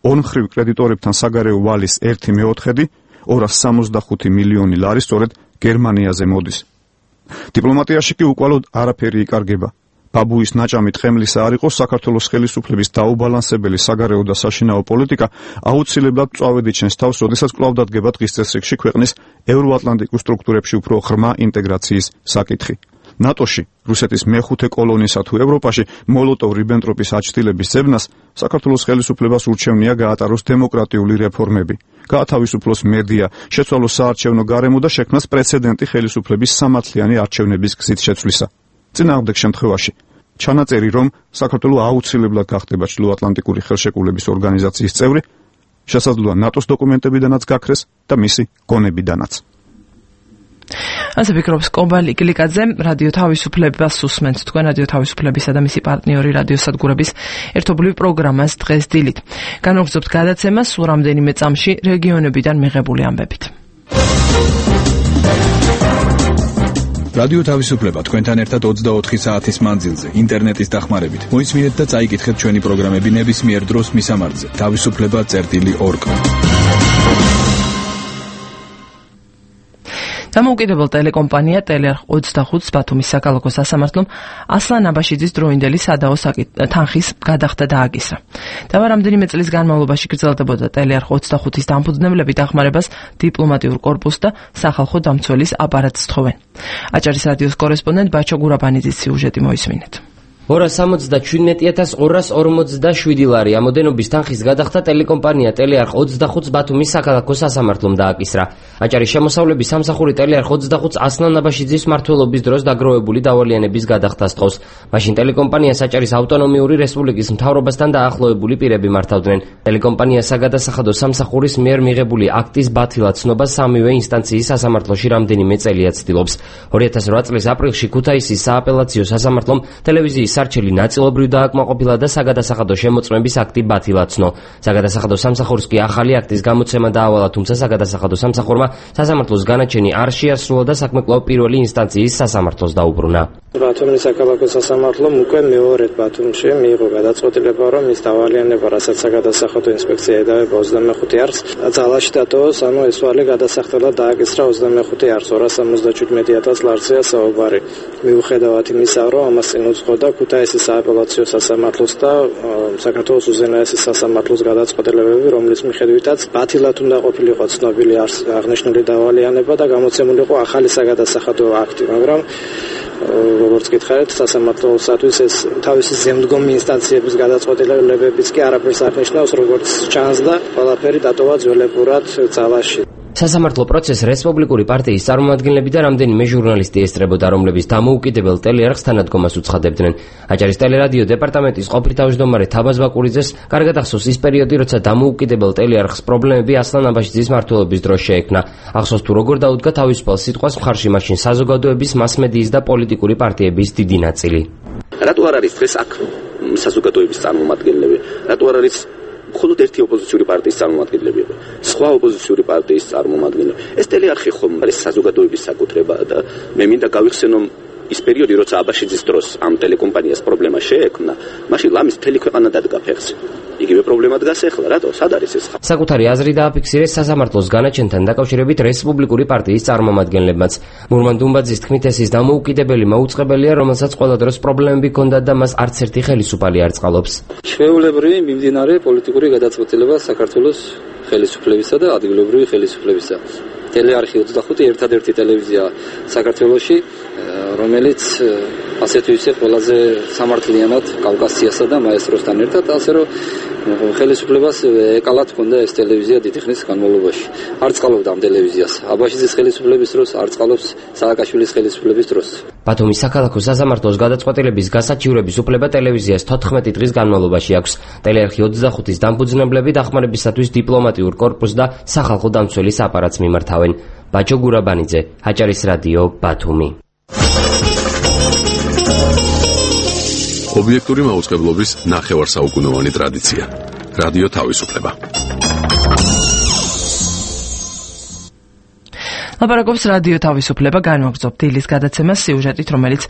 ორმხრივ კრედიტორებთან საგარეო ვალის ერთი მეოთხედი, ორას სამოცდახუთი მილიონი ლარი სწორედ გერმანიაზე მოდის. დიპლომატიაში კი უკვალოდ არაფერი იკარგება. ბაბუის ნაჭამი თხემლისა არ იყოს, საქართველოს ხელისუფლების დაუბალანსებელი საგარეო და საშინაო პოლიტიკა აუცილებლად წვავედი ჩენს თავს, როდესაც კვლავ დადგება დღის წესრიგში ქვეყნის ევროატლანტიკურ სტრუქტურებში უფრო ღრმა ინტეგრაციის საკითხი. ნატოში რუსეთის მეხუთე კოლონისა თუ ევროპაში მოლოტოვ-რიბენტროპის აჩtildeების ზებნას საქართველოს ხელისუფლებას ურჩევნია გაატაროს დემოკრატიული რეფორმები, გაათავისუფლოს მედია, შეცვალოს საარჩევნო გარემო და შექმნას პრეცედენტი ხელისუფლების სამართლიანი არჩევნების გზით შეცვლისა. წინააღმდეგ შემთხვევაში ჩანაწერი, რომ საქართველო აუცილებლად გახდება ჩრდილოატლანტიკური ხელშეკრულების ორგანიზაციის წევრი, შესაძლოა ნატოს დოკუმენტებიდანაც გაქრეს და მისი გონებიდანაც. ასე ფიქრობს კობალი გლიკაძე, რადიო თავისუფლებას უსმენთ თქვენ რადიო თავისუფლებისა და მისი პარტნიორი რადიოსადგურების ერთობლივ პროგრამას დღეს დილით. განვაგრძობთ გადაცემას სულ რამდენიმე წამში რეგიონებიდან მიღებული ამბებით. რადიო თავისუფლება თქვენთან ერთად ოცდაოთხი საათის მანძილზე ინტერნეტის დახმარებით. მოისმინეთ და წაიკითხეთ ჩვენი პროგრამები ნებისმიერ დროს მისამართზე თავისუფლება წერტილი ორ კომ. დამოუკიდებელ ტელეკომპანია ტელეარხ ოცდახუთს ბათუმის საქალაქო სასამართლომ ასლან აბაშიძის დროინდელი სადაო თანხის გადახდა დააკისრა. დავა რამდენიმე წლის განმავლობაში გრძელდებოდა ტელეარხ ოცდახუთის დამფუძნებლები დახმარებას დიპლომატიურ კორპუსს და სახალხო დამცველის აპარატს თხოვენ. აჭარის რადიოს კორესპონდენტ ბაჩო გურაბანიძის სიუჟეტი მოისმინეთ. ორას სამოცდაშვიდ ათას ორას ორმოცდაშვიდი ლარი ამოდენობის თანხის გადახდა ტელეკომპანია ტელეარხ ოცდახუთს ბათუმის საქალაქო სასამართლომ დააკისრა. აჭარის შემოსავლების სამსახური ტელეარხ ოცდახუთს ასლან აბაშიძის მმართველობის დროს დაგროვებული დავალიანების გადახდას თხოვს. მაშინ ტელეკომპანიას აჭარის ავტონომიური რესპუბლიკის მთავრობასთან დაახლოებული პირები მართავდნენ. ტელეკომპანიას საგადასახადო სამსახურის მიერ მიღებული აქტის ბათილად ცნობა სამივე ინსტანციის სასამართლოში რამდენიმე წელია ცდილობს. ორი ათას რვა წლის აპრილში ქუთაისის სააპელაციო სასამართლომ ტელევიზიის სარჩელი ნაწილობრივ დააკმაყოფილა და საგადასახადო შემოწმების აქტი ბათილად ცნო. საგადასახადო სამსახურს კი ახალი აქტის გამოცემა დაავალა, თუმცა საგადასახადო სამსახურმა სასამართლოს განაჩენი არ შეასრულა და საქმე კვლავ პირველი ინსტანციის სასამართლოს დაუბრუნა. ბათუმის საქალაქო სასამართლომ უკვე მეორედ ბათუმში მიიღო გადაწყვეტილება, რომ ის დავალიანება, რასაც საგადასახადო ინსპექცია ედავება ოცდამეხუთე არხს, ძალაში დატოვოს, ანუ ეს ვალი გადასახდელად დააკისრა ოცდამეხუთე არხს ორას სამოცდაშვიდ ათას ლარზეა საუბარი. მიუხედავად იმისა, რომ ამას წინ უძღოდა ქუთაისის სააპელაციო სასამართლოს და საქართველოს უზენაესის სასამართლოს გადაწყვეტილებები, რომლის მიხედვითაც ბათილად უნდა ყოფილიყო ცნობილი აღნიშნული დავალიანება და გამოცემულიყო ახალი საგადასახადო აქტი, მაგრამ როგორც გითხარით, სასამართლოსათვის ეს თავისი ზემდგომი ინსტანციების გადაწყვეტილებებიც კი არაფერს არ ნიშნავს, როგორც ჩანს და ყველაფერი დატოვა ძველებურად ძალაში. სასამართლო პროცესს რესპუბლიკური პარტიის წარმომადგენლები და რამდენიმე ჟურნალისტი ესწრებოდა, რომლებიც დამოუკიდებელ ტელეარხს თანადგომას უცხადებდნენ. აჭარის ტელერადიო დეპარტამენტის ყოფილი თავმჯდომარე თაბაზ ბაკურიძეს კარგად ახსოვს ის პერიოდი, როცა დამოუკიდებელ ტელეარხს პრობლემები ასლან აბაშიძის მმართველობის დროს შეექმნა. ახსოვს თუ როგორ დაუდგა თავისუფალ სიტყვას მხარში მაშინ საზოგადოების, მასმედიის და პოლიტიკური პარტიების დიდი ნაწილი. რატო არ არის დღეს აქ საზოგადოების წარმომადგენლები? რატო არ არის მხოლოდ ერთი ოპოზიციური პარტიის წარმომადგენლებია, სხვა ოპოზიციური პარტიის წარმომადგენლები. ეს ტელეარხი ხომ არის საზოგადოების საკუთრება და მე მინდა გავიხსენო ის პერიოდი, როცა აბაშიძის დროს ამ ტელეკომპანიას პრობლემა შეექმნა, მაშინ ლამის მთელი ქვეყანა დადგა ფეხზე. იგივე პრობლემა დგას ახლა, რატო? სად არის ეს? საკუთარი აზრი დააფიქსირეს სასამართლოს განაჩენთან დაკავშირებით რესპუბლიკური პარტიის წარმომადგენლებმაც. მურმან დუმბაძის თქმით, ეს ის დამოუკიდებელი მაუწყებელია, რომელსაც ყველა დროს პრობლემები ჰქონდა და მას არც ერთი ხელისუფალი არ წყალობს. ჩვეულებრივი მიმდინარე პოლიტიკური გადაწყვეტილება საქართველოს ხელისუფლებისა და ადგილობრივი ხელისუფლებისა. ტელეარხი ოცდახუთი ერთადერთი ტელევიზია საქართველოში, რომელიც ასე თუ ისე ყველაზე სამართლიანად კავკასიასა და მაესტროსთან ერთად, ასე რომ ხელისუფლებას ეკალათ ჰქონდა ეს ტელევიზია დიდი ხნის განმავლობაში. არ წყალობდა ამ ტელევიზიას. აბაშიძის ხელისუფლების დროს, არ წყალობს სააკაშვილის ხელისუფლების დროს. ბათუმის საქალაქო სასამართლოს გადაწყვეტილების გასაჩივრების უფლება ტელევიზიას თოთხმეტი დღის განმავლობაში აქვს. ტელეარხი ოცდახუთის დამფუძნებლები დახმარებისათვის დიპლომატიურ კორპუსს და სახალხო დამცველის აპარატს მიმართავენ. ბაჩო გურაბანიძე, აჭარის რადიო, ბათუმი. ობიექტური მაუწყებლობის ნახევარსაუკუნოვანი ტრადიცია. რადიო თავისუფლება. ლაპარაკობს რადიო თავისუფლება, განვაგრძობთ დილის გადაცემას სიუჟეტით, რომელიც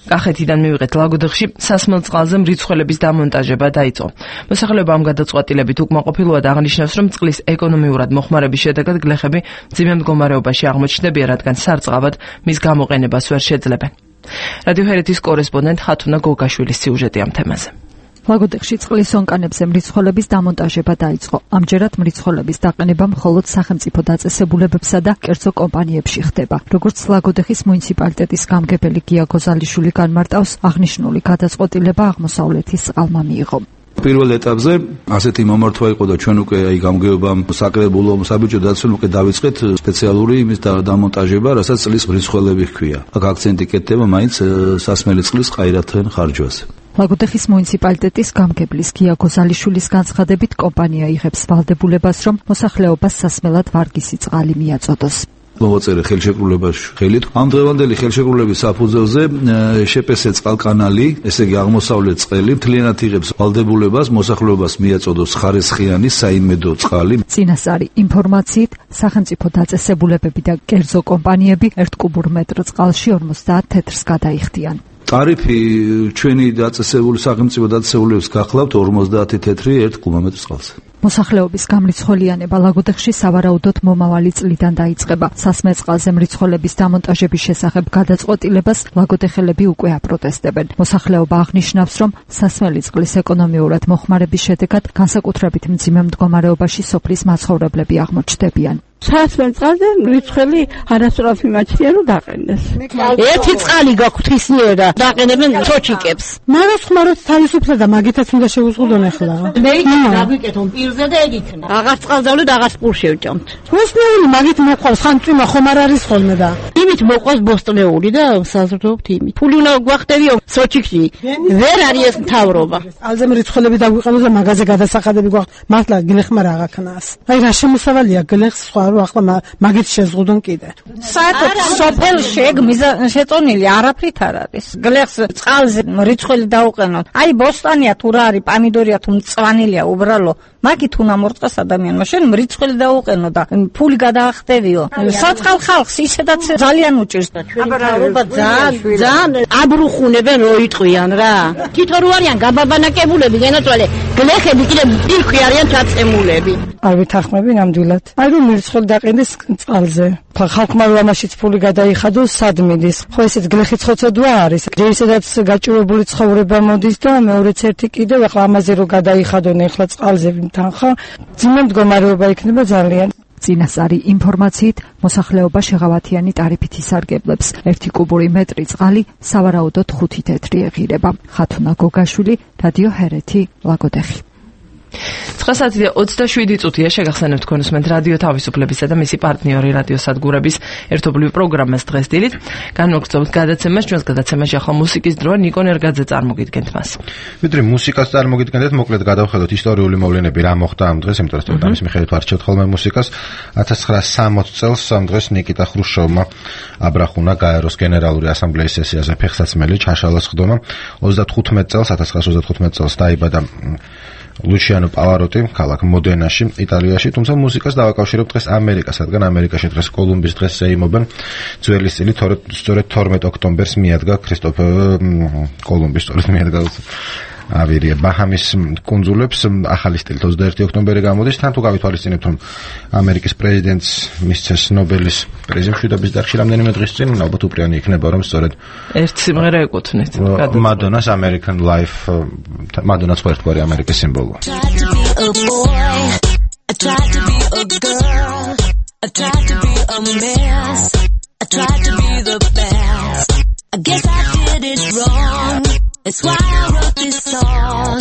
კახეთიდან მივიღეთ. ლაგოდეხში სასმელ წყალზე მრიცხველების დამონტაჟება დაიწყო. მოსახლეობა ამ გადაწყვეტილებით უკმაყოფილოა და აღნიშნავს, რომ წყლის ეკონომიურად მოხმარების შედეგად გლეხები მძიმე მდგომარეობაში აღმოჩნდებიან, რადგან სარწყავად მის გამოყენებას ვერ შეძლებენ. რადიო ჰერეთის კორესპონდენტ ხათუნა გოგაშვილის სიუჟეტი ამ თემაზე. ლაგოდეხში წყლის ონკანებზე მრიცხველების დამონტაჟება დაიწყო. ამჯერად მრიცხველების დაყენება მხოლოდ სახელმწიფო დაწესებულებებსა და კერძო კომპანიებში ხდება. როგორც ლაგოდეხის მუნიციპალიტეტის გამგებელი გია გოზალიშვილი განმარტავს, აღნიშნული გადაწყვეტილება აღმოსავლეთის წყალმა მიიღო. პირველ ეტაპზე ასეთი მომართვა იყო და ჩვენ უკვე აი გამგეობამ საკრებულო საბიჭო დაცვამ უკვე დავიწყეთ სპეციალური იმის დამონტაჟება, რასაც წყლის მრიცხველები ჰქვია. აქ აქცენტი კეთდება მაინც სასმელი წყლის ყაირათთან ხარჯვაზე. ლაგოდეხის მუნიციპალიტეტის გამგებლის გია გოზალიშვილის განცხადებით, კომპანია იღებს ვალდებულებას, რომ მოსახლეობას სასმელად ვარგისი წყალი მიაწოდოს. მოვაწერე ხელშეკრულებაში ხელით. ამ დღევანდელი ხელშეკრულების საფუძველზე შპს წყალკანალი, ესე იგი აღმოსავლეთ წყელი, მთლიანად იღებს ვალდებულებას მოსახლეობას მიაწოდოს ხარისხიანი საიმედო წყალი. წინასწარი ინფორმაციით, სახელმწიფო დაწესებულებები და კერძო კომპანიები ერთ კუბურ მეტრ წყალში ორმოცდაათ თეთრს გადაიხდიან. ტარიფი ჩვენი დაწესებული სახელმწიფო დაწესებულებებს გახლავთ ორმოცდაათი თეთრი ერთ კუბომეტრ წყალზე. მოსახლეობის გამრიცხველიანება ლაგოდეხში სავარაუდოდ მომავალი წლიდან დაიწყება. სასმელ წყალზე მრიცხველების დამონტაჟების შესახებ გადაწყვეტილებას ლაგოდეხელები უკვე აპროტესტებენ. მოსახლეობა აღნიშნავს, რომ სასმელი წყლის ეკონომიურად მოხმარების შედეგად განსაკუთრებით მძიმე მდგომარეობაში სოფლის მაცხოვრებლები აღმოჩნდებიან. სასმელ წყალზე მრიცხველი არასდროს იმაჩნია რომ დაყენდეს. ერთი წყალი გაქვთ ისნიერა დაყენებენ ჩოჩიკებს. მაგას ხმაროთ თავისუფლად და მაგითაც უნდა შევუზღუდონ ახლა. მე დაგვიკეთონ პირზე და ეგ იქნება. აღარ წყალდავლე და აღარ სპურს შევჭამთ. მოსნეული მაგით მოყვავს ხან წვიმა ხომ არ არის ხოლმე და. იმით მოყვავს ბოსტნეული და საზრდოობთ იმით. ფული უნდა გვახტევიო სოჩიკში. ვერ არის ეს მთავრობა. ალზე მრიცხველები დაგვიყენოს და მაგაზე გადასახადები გვაქვს. მართლა გლეხმა რა აღქნას. აი რა შემოსავალია გლეხს სხვა რომ ახლა მაგით შეზღუდონ კიდე. საერთოდ სოფელ შეგმიზა შეწონილი არაფრით არ არის. გლეხს წყალზე მრიცხველი დაუყენოთ. აი ბოსტანია თუ რა არის, პამიდორია თუ მწვანილია უბრალო. მაგით უნდა მორწყას ადამიანმა. შენ მრიცხველი დაუყენო და ფული გადაახტევიო. საწყალ ხალხს ისედაც ძალიან უჭირს. აბა ძალიან ძალიან აბრუხუნებენ რო იტყვიან რა. თითო რო არიან გაბაბანაკებულები განაწვალე. გლეხები კიდე პირქვი არიან ჩაწემულები. არ ვითანხმები ნამდვილად. აი რომ მრიცხელი დაყენდეს წყალზე. ხალხმა რომ ამაშიც ფული გადაიხადოს სად მიდის? ხო ესეც გლეხის ხოცოდვა არის. ისედაც გაჭირვებული ცხოვრება მოდის და მეორეც ერთი კიდევ ახლა ამაზე რომ გადაიხადონ ახლა წყალზე თანხა, ძიმე მდგომარეობა იქნება ძალიან. წინასწარი ინფორმაციით, მოსახლეობა შეღავათიანი ტარიფით ისარგებლებს. ერთი კუბური მეტრი წყალი სავარაუდოდ ხუთი თეთრი ეღირება. ხათუნა გოგაშვილი, რადიო ჰერეთი, ლაგოდეხი. ცხრა საათი და ოცდაშვიდი წუთია შეგახსენებთ თქვენ უსმენთ რადიო თავისუფლებისა და მისი პარტნიორი რადიო სადგურების ერთობლივ პროგრამას დღეს დილით. განვაგრძობთ გადაცემას, ჩვენს გადაცემაში ახლა მუსიკის დროა, ნიკო ნერგაძე წარმოგიდგენთ მას. ვიდრე მუსიკას წარმოგიდგენთ, მოკლედ გადავხედოთ ისტორიული მოვლენები რა მოხდა ამ დღეს, იმიტომ რომ ამის მიხედვით ვარჩევთ ხოლმე მუსიკას. ათას ცხრაასი სამოცი წელს ამ დღეს ნიკიტა ხრუშოვმა აბრახუნა გაეროს გენერალური ასამბლეის სესიაზე ფეხსაცმელი ჩაშალას ხდომა. ოცდათხუთმეტი წელს ათას ცხრაასი ოცდათხუთმეტი წელს დაიბადა ლუჩიანო პავაროტი ქალაქ მოდენაში, იტალიაში, თუმცა მუსიკას დავაკავშირებთ დღეს ამერიკას, რადგან ამერიკაში დღეს კოლუმბის დღეს ეიმობენ. ძველი სტილი სწორედ თორმეტ ოქტომბერს მიადგა ქრისტოფერ კოლუმბის სწორედ მიადგა ავირია ბაჰამის კუნძულებს. ახალი სტილით ოცდაერთი ოქტომბერი გამოდის. თან თუ გავითვალისწინებთ, რომ ამერიკის პრეზიდენტს მისცეს ნობელის პრიზი მშვიდობის დარგში რამდენიმე დღის წინ, ალბათ უპირიანი იქნება, რომ სწორედ ერთ სიმღერა ეკუთვნით. მადონას American Life, მადონას ხო ერთგვარი ამერიკის სიმბოლოა. That's why I wrote this song.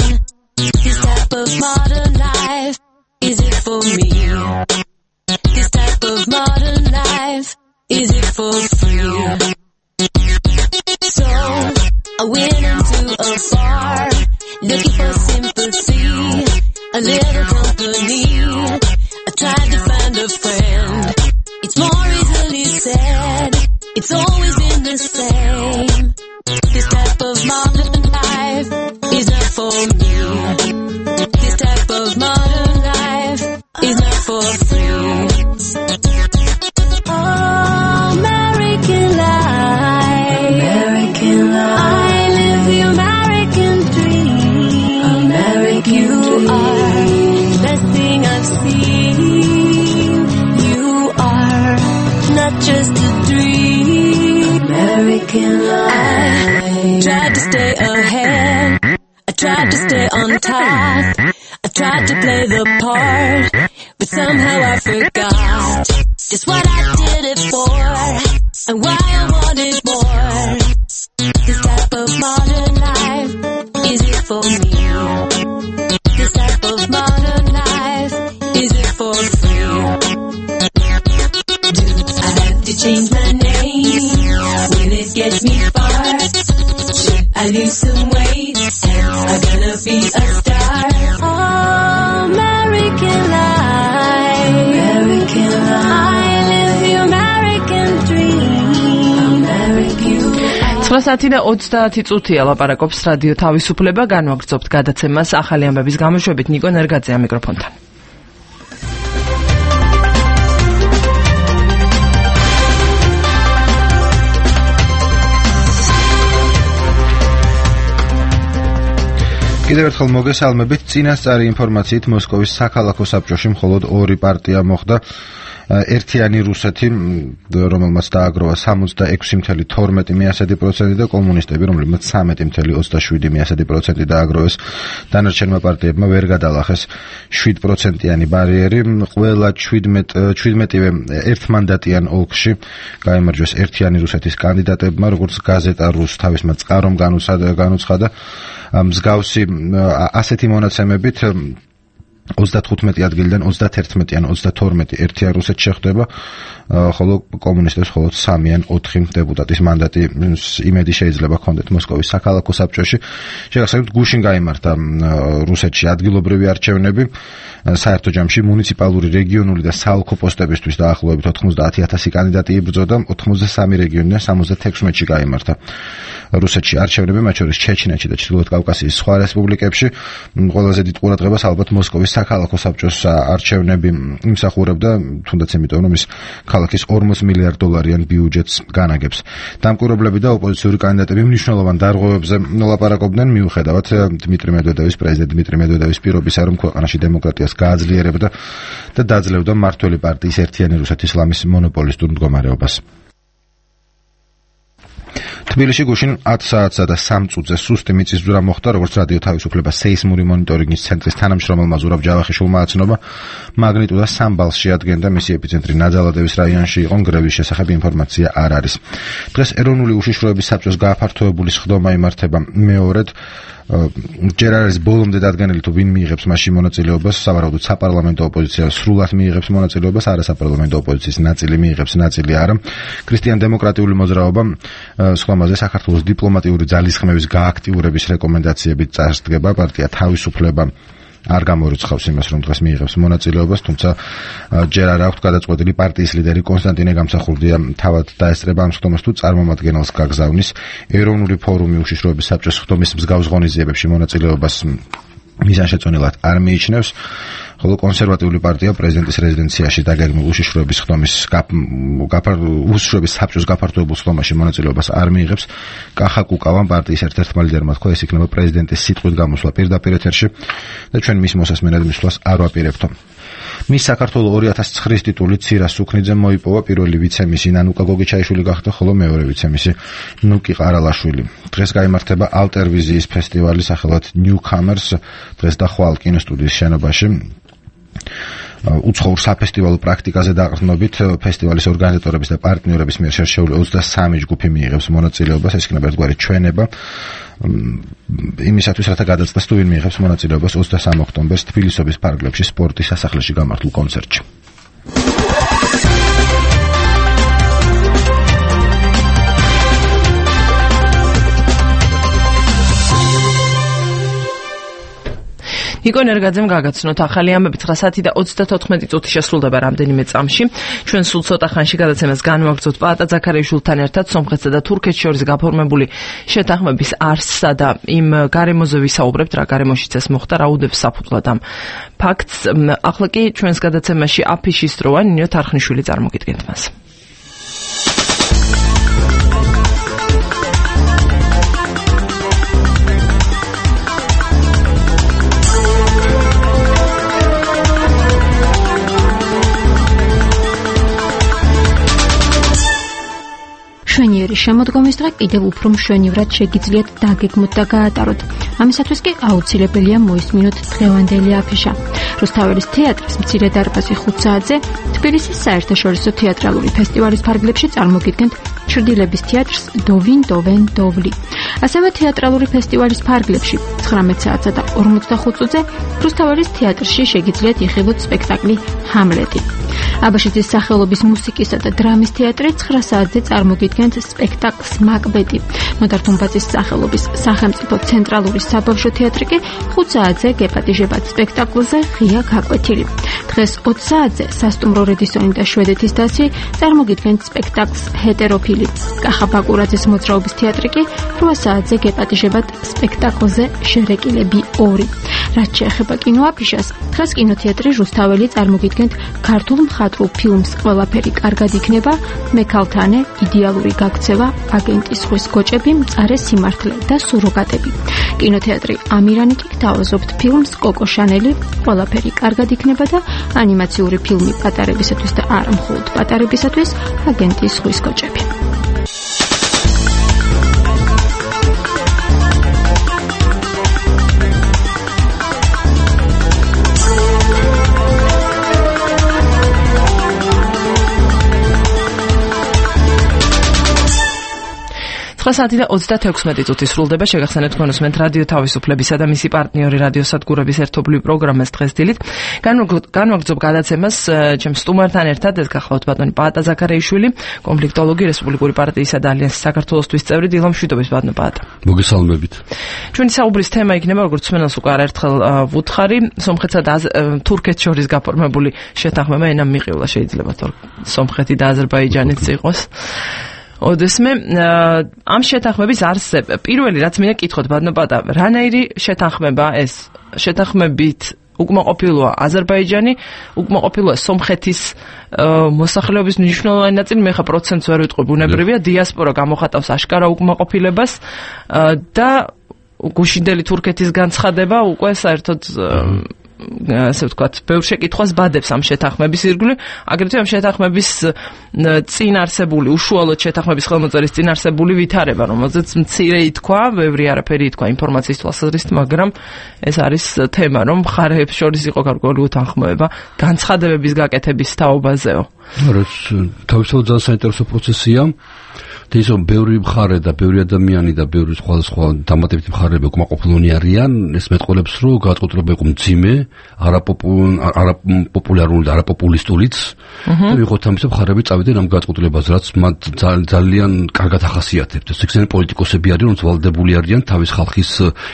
This type of modern life, is it for me? This type of modern life, is it for free? So, I went into a bar, looking for sympathy, a little company. I tried to find a friend. It's more easily said, it's always been the same. This type of modern life is not for me. This type of modern life is not for free. Oh, American life, American life. I live the American dream. American you dream. Are the best thing I've seen. You are not just a dream. American life. I tried to stay ahead, I tried to stay on top, I tried to play the part, but somehow I forgot just what I did it for, and why I wanted more. This type of modern life, is it for me? This type of modern life, is it for free? Do I have to change my name? Will it get me far? I lose some weight, and I'm gonna be a star. Oh, American life, American life. I live the American დღეს ათი და ოცდაათი წუთია ლაპარაკობს რადიო თავისუფლება, განვაგრძობთ გადაცემას ახალი ამბების გამოშვებით ნიკო ნერგაძეა მიკროფონთან. კიდევ ერთხელ მოგესალმებით. წინასწარი ინფორმაციით მოსკოვის საქალაქო საბჭოში მხოლოდ ორი პარტია მოხდა. ერთიანი რუსეთი, რომელმაც დააგროვა სამოცდაექვსი წუთი თორმეტი პროცენტი და კომუნისტები, რომლებმაც სამეტი წუთი ოცდაშვიდი პროცენტი დააგროვეს. დანარჩენმა პარტიებმა ვერ გადალახეს შვიდ პროცენტიანი ბარიერი. ყველა შვიდმეტივე ერთმანდატიან ოლქში გაიმარჯვეს ერთიანი რუსეთის კანდიდატებმა, როგორც გაზეტა რუს თავისმა წყარომ განუცხადა. მსგავსი ასეთი მონაცემებით ოცდათხუთმეტი ადგილიდან ოცდაათერთმეტი ან ოცდათორმეტი ერთიან რუსეთს შეხვდება, ხოლო კომუნისტებს მხოლოდ სამი ან ოთხი დეპუტატის მანდატი იმედი შეიძლება ჰქონდეთ მოსკოვის საქალაქო საბჭოში. შეგახსენებთ, გუშინ გაიმართა რუსეთში ადგილობრივი არჩევნები, საერთო ჯამში მუნიციპალური, რეგიონული და საოლქო პოსტებისთვის დაახლოებით ოთხმოცდაათი ათასი კანდიდატი იბრძოდა, ოცდაოთხი რეგიონიდან სამოცდათექვსმეტში გაიმართა რუსეთში არჩევნები, მათ შორის ჩეჩნეთში და ჩრდილოეთ კავკასიის სხვა რესპუბლიკებში. ყველაზე დიდ ყურადღებას ალბათ მოსკოვის საქალაქო საბჭოს არჩევნები იმსახურებდა, თუნდაც იმიტომ, რომ ის ქალაქის ორმოც მილიარდ დოლარიან ბიუჯეტს განაგებს. დამკვირვებლები და ოპოზიციური კანდიდატები მნიშვნელოვან დარღვევებზე ლაპარაკობდნენ, მიუხედავად დმიტრი მედვედევის, პრეზიდენტ დმიტრი მედვედევის პირობისა, რომ ქვეყანაში დემოკრატიას გააძლიერებდა და დაძლევდა მმართველი პარტიის ერთიანი რუსეთის ლამის მონოპოლისტურ მდგომარეობას. თბილისში გუშინ ათ საათსა და სამ წუთზე სუსტი მიწისძვრა მოხდა, როგორც რადიო თავისუფლება სეისმური მონიტორინგის ცენტრის თანამშრომელმა ზურაბ ჯავახიშვილმა აცნობა. მაგნიტუდა სამ ბალს შეადგენდა, მისი ეპიცენტრი ნაძალადევის რაიონში იყო, ნგრევის შესახებ ინფორმაცია არ არის. დღეს ეროვნული უშიშროების საბჭოს გააფართოებული სხდომა იმართება მეორედ. ჯერ არ არის ბოლომდე დადგენილი თუ ვინ მიიღებს მასში მონაწილეობას, სავარაუდოდ საპარლამენტო ოპოზიცია სრულად მიიღებს მონაწილეობას, არასაპარლამენტო ოპოზიციის ნაწილი მიიღებს, ნაწილი არა. ქრისტიან-დემოკრატიული მოძრაობა სხდომაზე საქართველოს დიპლომატიური ძალისხმევის გააქტიურების რეკომენდაციებით წარსდგება. პარტია თავისუფლება არ გამორიცხავს იმას, რომ დღეს მიიღებს მონაწილეობას, თუმცა ჯერ არ აქვს გადაწყვეტილი. პარტიის ლიდერი კონსტანტინე გამსახურდია თავად დაესწრება ამ სხდომას თუ წარმომადგენელს გაგზავნის. ეროვნული ფორუმი უშიშროების საბჭოს სხდომის მსგავს ღონისძიებებში მონაწილეობას მიზანშეწონილად არ მიიჩნევს, ხოლო კონსერვატიული პარტია პრეზიდენტის რეზიდენციაში დაგეგმილ უშიშროების სხდომის უშიშროების საბჭოს გაფართოებულ სხდომაში მონაწილეობას არ მიიღებს. კახა კუკავამ პარტიის ერთ-ერთმა ლიდერმა თქვა, ეს იქნება პრეზიდენტის სიტყვით გამოსვლა პირდაპირ ეთერში და ჩვენ მის მოსასმენად მისვლას არ ვაპირებთო. მის საქართველოს ორი ათას ცხრის ტიტული ცირა სუქნიძემ მოიპოვა, პირველი ვიცემისი ნანუკა გოგიჩაიშვილი გახდა, ხოლო მეორე ვიცემისი ნუკი ყარალაშვილი. დღეს გაიმართება ალტერვიზიის ფესტივალი სახელად Newcomers, დღეს და ხვალ კინოსტუდიის შენობაში. უცხოურ საფესტივალო პრაქტიკაზე დაყრდნობით ფესტივალის ორგანიზატორების და პარტნიორების მიერ შერჩეული ოცდასამი ჯგუფი მიიღებს მონაწილეობას, ეს იქნება ერთგვარი ჩვენება იმისათვის, რათა გადაწყდეს თუ ვინ მიიღებს მონაწილეობას ოცდასამი ოქტომბერს თბილისობის ფარგლებში სპორტის სასახლეში გამართულ კონცერტში. ნიკო ნერგაძემ გაგაცნოთ ახალი ამბები. ცხრა და ოცდათოთხმეტი წუთი შესრულდება რამდენიმე წამში. ჩვენ სულ ცოტა ხანში გადაცემას განვაგრძობთ პაატა ზაქარიაშვილთან ერთად სომხეთსა და თურქეთს შორის გაფორმებული შეთანხმების არსსა და იმ გარემოზე ვისაუბრებთ, რა გარემოშიც ეს მოხდა, რა უდევს საფუძვლად ამ ფაქტს. ახლა კი ჩვენს გადაცემაში აფიშის დროა, ნინო თარხნიშვილი წარმოგიდგენთ მას. მშვენიერი შემოდგომის დღე კიდევ უფრო მშვენივრად შეგიძლიათ დაგეგმოთ და გაატაროთ. ამისათვის კი აუცილებელია მოისმინოთ დღევანდელი აფიშა. რუსთაველის თეატრის მცირე დარბაზი ხუთ საათზე თბილისის საერთაშორისო თეატრალური ფესტივალის ფარგლებში წარმოგიდგენთ ჩრდილების თეატრს დოვინ დოვენ დოვლი. ასევე თეატრალური ფესტივალის ფარგლებში ცხრამეტ საათსა და ორმოცდახუთ წუთზე რუსთაველის თეატრში შეგიძლიათ იხილოთ სპექტაკლი ჰამლეტი. აბაშიძის სახელობის მუსიკისა და დრამის თეატრი ცხრა საათზე წარმოგიდგენთ სპექტაკლს მაკბეტი. ნოდარ-დუმბაძის სახელობის სახელმწიფო ცენტრალური საბავშვო თეატრი კი ხუთ საათზე გეპატიჟებათ სპექტაკლზე ღია გაკვეთილი. დღეს ოცი საათზე სასტუმრო რედისონი და შვედეთის დასი წარმოგიდგენთ სპექტაკლს ჰეტეროფილი. კახა ბაკურაძის მოძრაობის თეატრი კი რვა საათზე გეპატიჟებათ სპექტაკლზე შერეკილები ორი. რაც შეეხება კინოაფიშას, დღეს კინოთეატრი რუსთაველი წარმოგიდგენთ ქართულ მხატვრულ ფილმს ყველაფერი კარგად იქნება, მექალთანე, იდეალური გაქცევა, აგენტის ზღვის გოჭები, მწარე სიმართლე და სუროგატები. კინოთეატრი ამირანი კი გთავაზობთ ფილმს კოკო შანელი, ყველაფერი კარგად იქნება და ანიმაციური ფილმი პატარებისათვის და არა მხოლოდ პატარებისათვის, აგენტის ზღვის გოჭები. საათი და ოცდაექვსი წუთი სრულდება. შეგახსენებთ თქვენ უსმენთ რადიო თავისუფლებისა და მისი პარტნიორი რადიო სადგურების ერთობლივ პროგრამას დღეს დილით. განვაგრძობ გადაცემას ჩემს სტუმართან ერთად, ეს გახლავთ ბატონი პაატა ზაქარეიშვილი, კონფლიქტოლოგი, რესპუბლიკური პარტიისა და ალიანსის საქართველოსთვის წევრი. დილა მშვიდობის ბატონო პაატა. მოგესალმებით. ჩვენი საუბრის თემა იქნება, როგორც მსმენელს უკვე არაერთხელ ვუთხარი, სომხეთსა და თურქეთს შორის გაფორმებული შეთანხმება. ენა მიყევლა შეიძლება სომხეთი და აზერბაიჯანიც იყოს. ოდესმე ამ შეთანხმების არსებ პირველი რაც მინდა კითხოთ ბატონო პაატა, რანაირი შეთანხმება ეს? შეთანხმებით უკმაყოფილოა აზერბაიჯანი, უკმაყოფილოა სომხეთის მოსახლეობის მნიშვნელოვანი ნაწილი, მე ხა პროცენტს ვერ ვიტყვი, ბუნებრივია, დიასპორა გამოხატავს აშკარა უკმაყოფილებას და გუშინდელი თურქეთის განცხადება უკვე საერთოდ ასე ვთქვათ, ბევრ შეკითხვას ბადებს ამ შეთანხმების ირგვლივ, აგრეთვე ამ შეთანხმების წინ არსებული, უშუალოდ შეთანხმების ხელმოწერის წინ არსებული ვითარება, რომელზეც მცირე ითქვა, ბევრი არაფერი ითქვა ინფორმაციის თვალსაზრისით, მაგრამ ეს არის თემა, რომ მხარეებს შორის იყო გარკვეული უთანხმოება განცხადებების გაკეთების თაობაზეო. რაც თავისთავად ძალიან საინტერესო პროცესია. ის რომ ბევრი მხარე და ბევრი ადამიანი და ბევრი სხვადასხვა დამატებითი მხარეები უკმაყოფილონი არიან, ეს მეტყველებს, რომ გადაწყვეტილება იყო მძიმე, არაპოპულარული და არაპოპულისტურიც. და ვიღოთ ამისა მხარეები წავიდნენ ამ გადაწყვეტილებას, რაც მათ ძალიან კარგად ახასიათებთ. ეს ისინი პოლიტიკოსები არიან, რომ ვალდებული არიან თავის ხალხის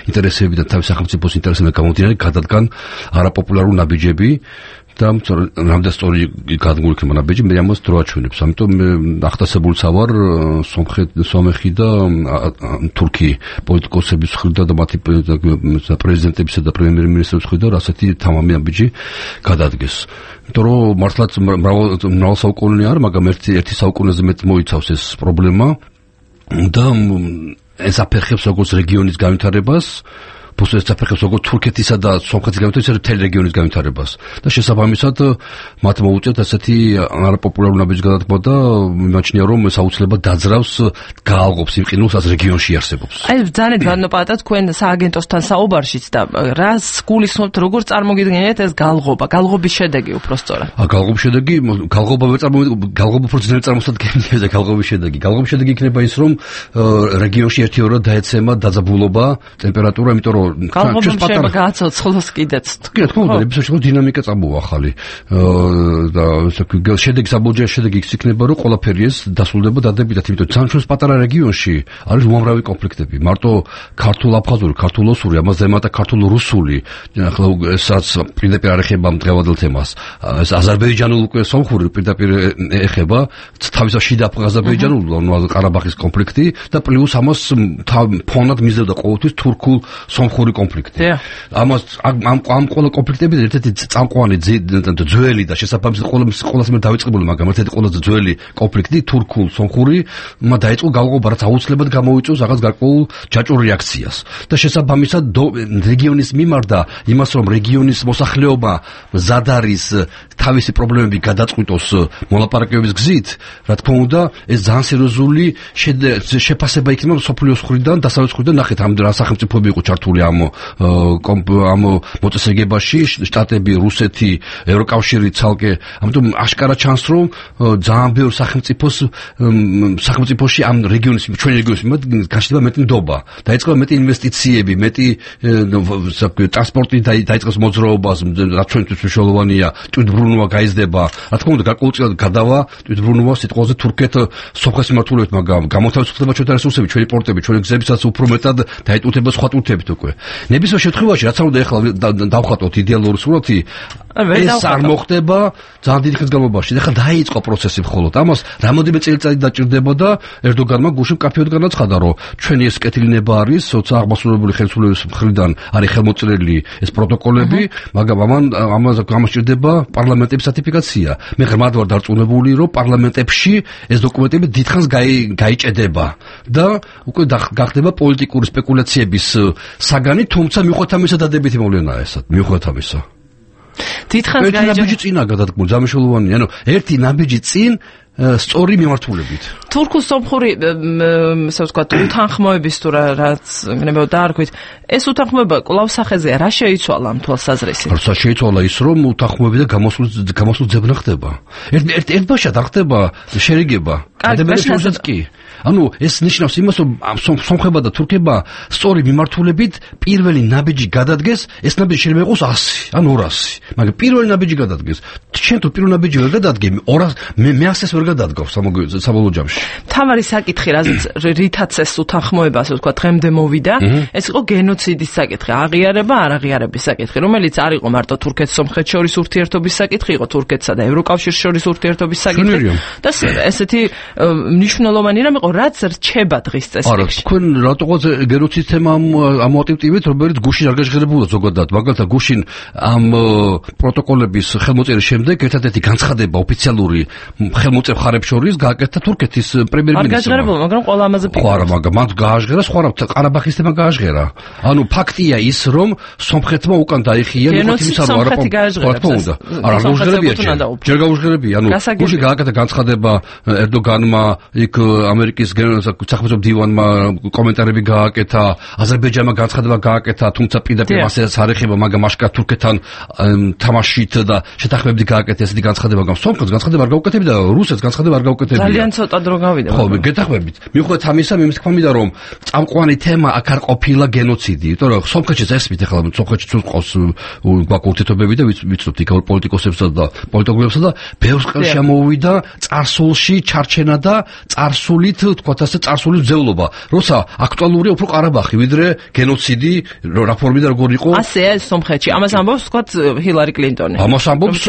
ინტერესებიდან, თავის სახელმწიფოს ინტერესებიდან გამომდინარე გადადგან არაპოპულარულ ნაბიჯები. და რამდენ სწორი გადმული იქნება ნაბიჯი, მე ამას დრო აჩვენებს. ამიტომ ახტასებულიც ავარ სომხი და თურქი პოლიტიკოსების მხრიდან და მათი პრეზიდენტებისა და პრემიერ-მინისტრების მხრიდან ასეთი თამამი ნაბიჯი გადადგეს. იმიტომ რომ მართლაც მრავალ საუკუნე არ, მაგრამ ერთი ერთი საუკუნეზე მეტ მოიცავს ეს პრობლემა და ეს აფერხებს როგორც რეგიონის განვითარებას, ფოსტეს საფეხებს როგორც თურქეთისა და სომხეთის განვითარებას, მთელი რეგიონის განვითარებას. და შესაბამისად მათ მოუწევთ ასეთი არაპოპულარული ნაბიჯი გადადგმა და მიმაჩნია, რომ ეს აუცილებლად დაძრავს, გაალღობს იმ ყინულს, რაც რეგიონში არსებობს. აი ძალიან ბატონო პაატა, თქვენ სააგენტოსთან საუბარშიც და რას გულისხმობთ, როგორ წარმოგიდგენიათ ეს გალღობა, გალღობის შედეგი უფრო სწორად? ა გალღობის შედეგი, გალღობა ვერ წარმოგიდგენთ, გალღობა უფრო ძნელი წარმოსადგენია და გალღობის შედეგი. გალღობის შედეგი იქნება ის, რომ რეგიონში ერთი-ორად დაეცემა დაძაბულობა, ტემპერატურა, იმიტომ რომ გალღობამ შეიძლება გააცოცხლოს კიდეც. კი, რა თქმა უნდა, ბიზნესში დინამიკა წამოვა ახალი. და შედეგი საბოლოო შედეგი ის იქნება, რომ ყველაფერი ეს დასრულდება დადებითად, იმიტომ რომ ჩვენს პატარა რეგიონში არის უამრავი კონფლიქტები. მარტო ქართულ-აფხაზური, ქართულ-ოსური, ამაზე ემატა ქართულ-რუსული, ახლა ესაც პირდაპირ არ ეხება მდგევადელ თემას. ეს აზერბაიჯანულ უკვე სომხური პირდაპირ ეხება, თავისა შიდა აზერბაიჯანულ ყარაბაღის კონფლიქტი და პლუს ამას ფონად მიზნებდა ყოველთვის თურქულ სომხური კონფლიქტი. ამას ამ ამ ყველა კონფლიქტები ერთ-ერთი წამყვანი ძველი და შესაბამისად ყველაზე მეტ დავიწყებული, მაგრამ ერთ-ერთი ყველაზე ძველი კონფლიქტი თურქულ სომხური მა დაიწყო გალღობა, რაც აუცილებლად გამოიწვევს რაღაც გარკვეულ ჯაჭვურ რეაქციას. და შესაბამისად რეგიონის მიმართ და იმას, რომ რეგიონის მოსახლეობა მზად არის თავისი პრობლემები გადაწყვიტოს მოლაპარაკებების გზით, რა თქმა უნდა, ეს ძალიან სერიოზული შეფასება იქნება სოფლიოს მხრიდან, დასავლეთის მხრიდან. ნახეთ, ამ რა სახელმწიფოები იყო ჩართული ამ ამ მოწესრიგებაში, შტატები, რუსეთი, ევროკავშირი ცალკე. ამიტომ აშკარა ჩანს, რომ ძალიან ბევრ სახელმწიფოს სახელმწიფოში ამ რეგიონის, ჩვენი რეგიონის მიმართ გაშლება მეტი ნდობა. დაიწყება მეტი ინვესტიციები, მეტი ტრანსპორტი დაიწყეს მოძრაობას, რაც ჩვენთვის მნიშვნელოვანია, თვითმბრუნვა გაიზრდება. რა თქმა უნდა, გარკვეულწილად გადავა თვითმბრუნვა სიტყვაზე თურქეთ სომხეთის მიმართულებით, მაგრამ გამოთავისუფლდება ჩვენთა რესურსები, ჩვენი პორტები, ჩვენი გზებისაც უფრო მეტად დაიტვირთება სხვა ტვირთებით უკვე. ნებისმიერ შემთხვევაში რაც უნდა ეხლა დავხატოთ იდეალური სურათი ეს არ მოხდება ძალიან დიდი ხნის განმავლობაში. ეხლა დაიწყო პროცესი მხოლოდ. ამას რამოდენიმე წელიწადი დაჭირდებოდა ერდოგანმა გუშინ კაფეოდ განაცხადა, რომ ჩვენი ეს კეთილინება არის როცა აღმასრულებელი ხელისუფლების მხრიდან არის ხელმოწერილი ეს პროტოკოლები, მაგრამ ამან ამას გამოსჭირდება პარლამენტების რატიფიკაცია. მე ღრმად ვარ დარწმუნებული, რომ პარლამენტებში ეს დოკუმენტები დიდხანს გაიჭედება და უკვე გახდება პოლიტიკური სპეკულაციების საგანი, თუმცა მიუხედავად ამისა დადებითი მოვლენაა ესა, მიუხედავად ამისა. დიდხანს გაიჭედება. ერთი ნაბიჯი წინა გადადგმული, ძამშელოვანია, ანუ ერთი ნაბიჯი წინ სწორი მიმართულებით. თურქულ სომხური ესე ვთქვათ უთანხმოების თუ რაც გნებავ დაარქვით, ეს უთანხმოება კვლავ სახეზეა, რა შეიცვალა ამ თვალსაზრისით? როცა შეიცვალა ის, რომ უთანხმოები და გამოსულ გამოსულ ძებნა ხდება. ერთ ერთ ერთბაშად არ ხდება შერიგება. გადაბეჭდასაც კი. ანუ ეს ნიშნავს იმას, რომ სომხება და თურქება სწორი მიმართულებით პირველი ნაბიჯი გადადგეს, ეს ნაბიჯი შეიძლება იყოს ასი ან ორასი. მაგრამ პირველი ნაბიჯი გადადგეს. შენ თუ პირველი ნაბიჯი ვერ გადადგე, ორასი მე მე ასეს ვერ გადადგავ საბოლოო ჯამში. თავარი საკითხი, რითაც ეს უთანხმოება, ასე ვთქვათ, დღემდე მოვიდა, ეს იყო გენოციდის საკითხი, აღიარება, არ აღიარების საკითხი, რომელიც არ იყო მარტო თურქეთ-სომხეთ შორის ურთიერთობის საკითხი, იყო თურქეთსა და ევროკავშირის შორის ურთიერთობის საკითხი. და ესეთი მნიშვნელოვანი რამ იყო, რაც რჩება დღის წესრიგში. არა, თქვენ რატოღაც გენოციდის თემა ამოტივტივით, რომელიც გუშინ არ გაჟღერებულა ზოგადად, მაგალითად გუშინ ამ პროტოკოლების ხელმოწერის შემდეგ ერთადერთი განცხადება ოფიციალური ხელმოწერ მხარებს შორის გააკეთა თურქეთის პრემიერ-მინისტრმა. არ გაჟღერებულა, მაგრამ ყველა ამაზე ხო არა, მაგრამ მან გააჟღერა სხვა ყარაბახის თემა გააჟღერა. ანუ ფაქტია ის, რომ სომხეთმა უკან დაიხია გენოციდის სომხეთი გააჟღერა. არა, არ გაუჟღერებია ჯერ გაუჟღერებია. ანუ გუშინ გააკეთა განცხადება ერდოგანმა, იქ ამერიკის სახელმწიფო მდივანმა კომენტარები გააკეთა, აზერბაიჯანმა განცხადება გააკეთა, თუმცა პირდაპირ მასეც არ ეხება, მაგრამ აშკარად თურქეთთან თამაშით და შეთანხმებით გააკეთა ესეთი განცხადება, მაგრამ სომხეთს განცხადება არ გაუკეთებია და რუსეთს განცხადება არ გაუკეთებია. ძალიან ცოტა დრო გავიდა. ხო, გეთახმებით. მიუხედავად ამისა, მე მithქვამიდა, რომ წამყვანი თემა აქ არ ყოფილა გენოციდი, იმიტომ რომ სომხეთში წესმით ახლა სომხეთში თუ ყავს გვაქვს ურთიერთობები და ვიცნობთ იქ პოლიტიკოსებსა და პოლიტიკოსებსა და ბევრს ხელში ამოვიდა წარსულში ჩარჩენა და წარსულით თქვათ ასე წარსულის ძევლობა, როცა აქტუალურია უფრო ყარაბახი, ვიდრე გენოციდი, რა ფორმით და როგორ იყო. ასეა ეს სომხეთში. ამას ამბობს თქვათ ჰილარი კლინტონი. ამას ამბობს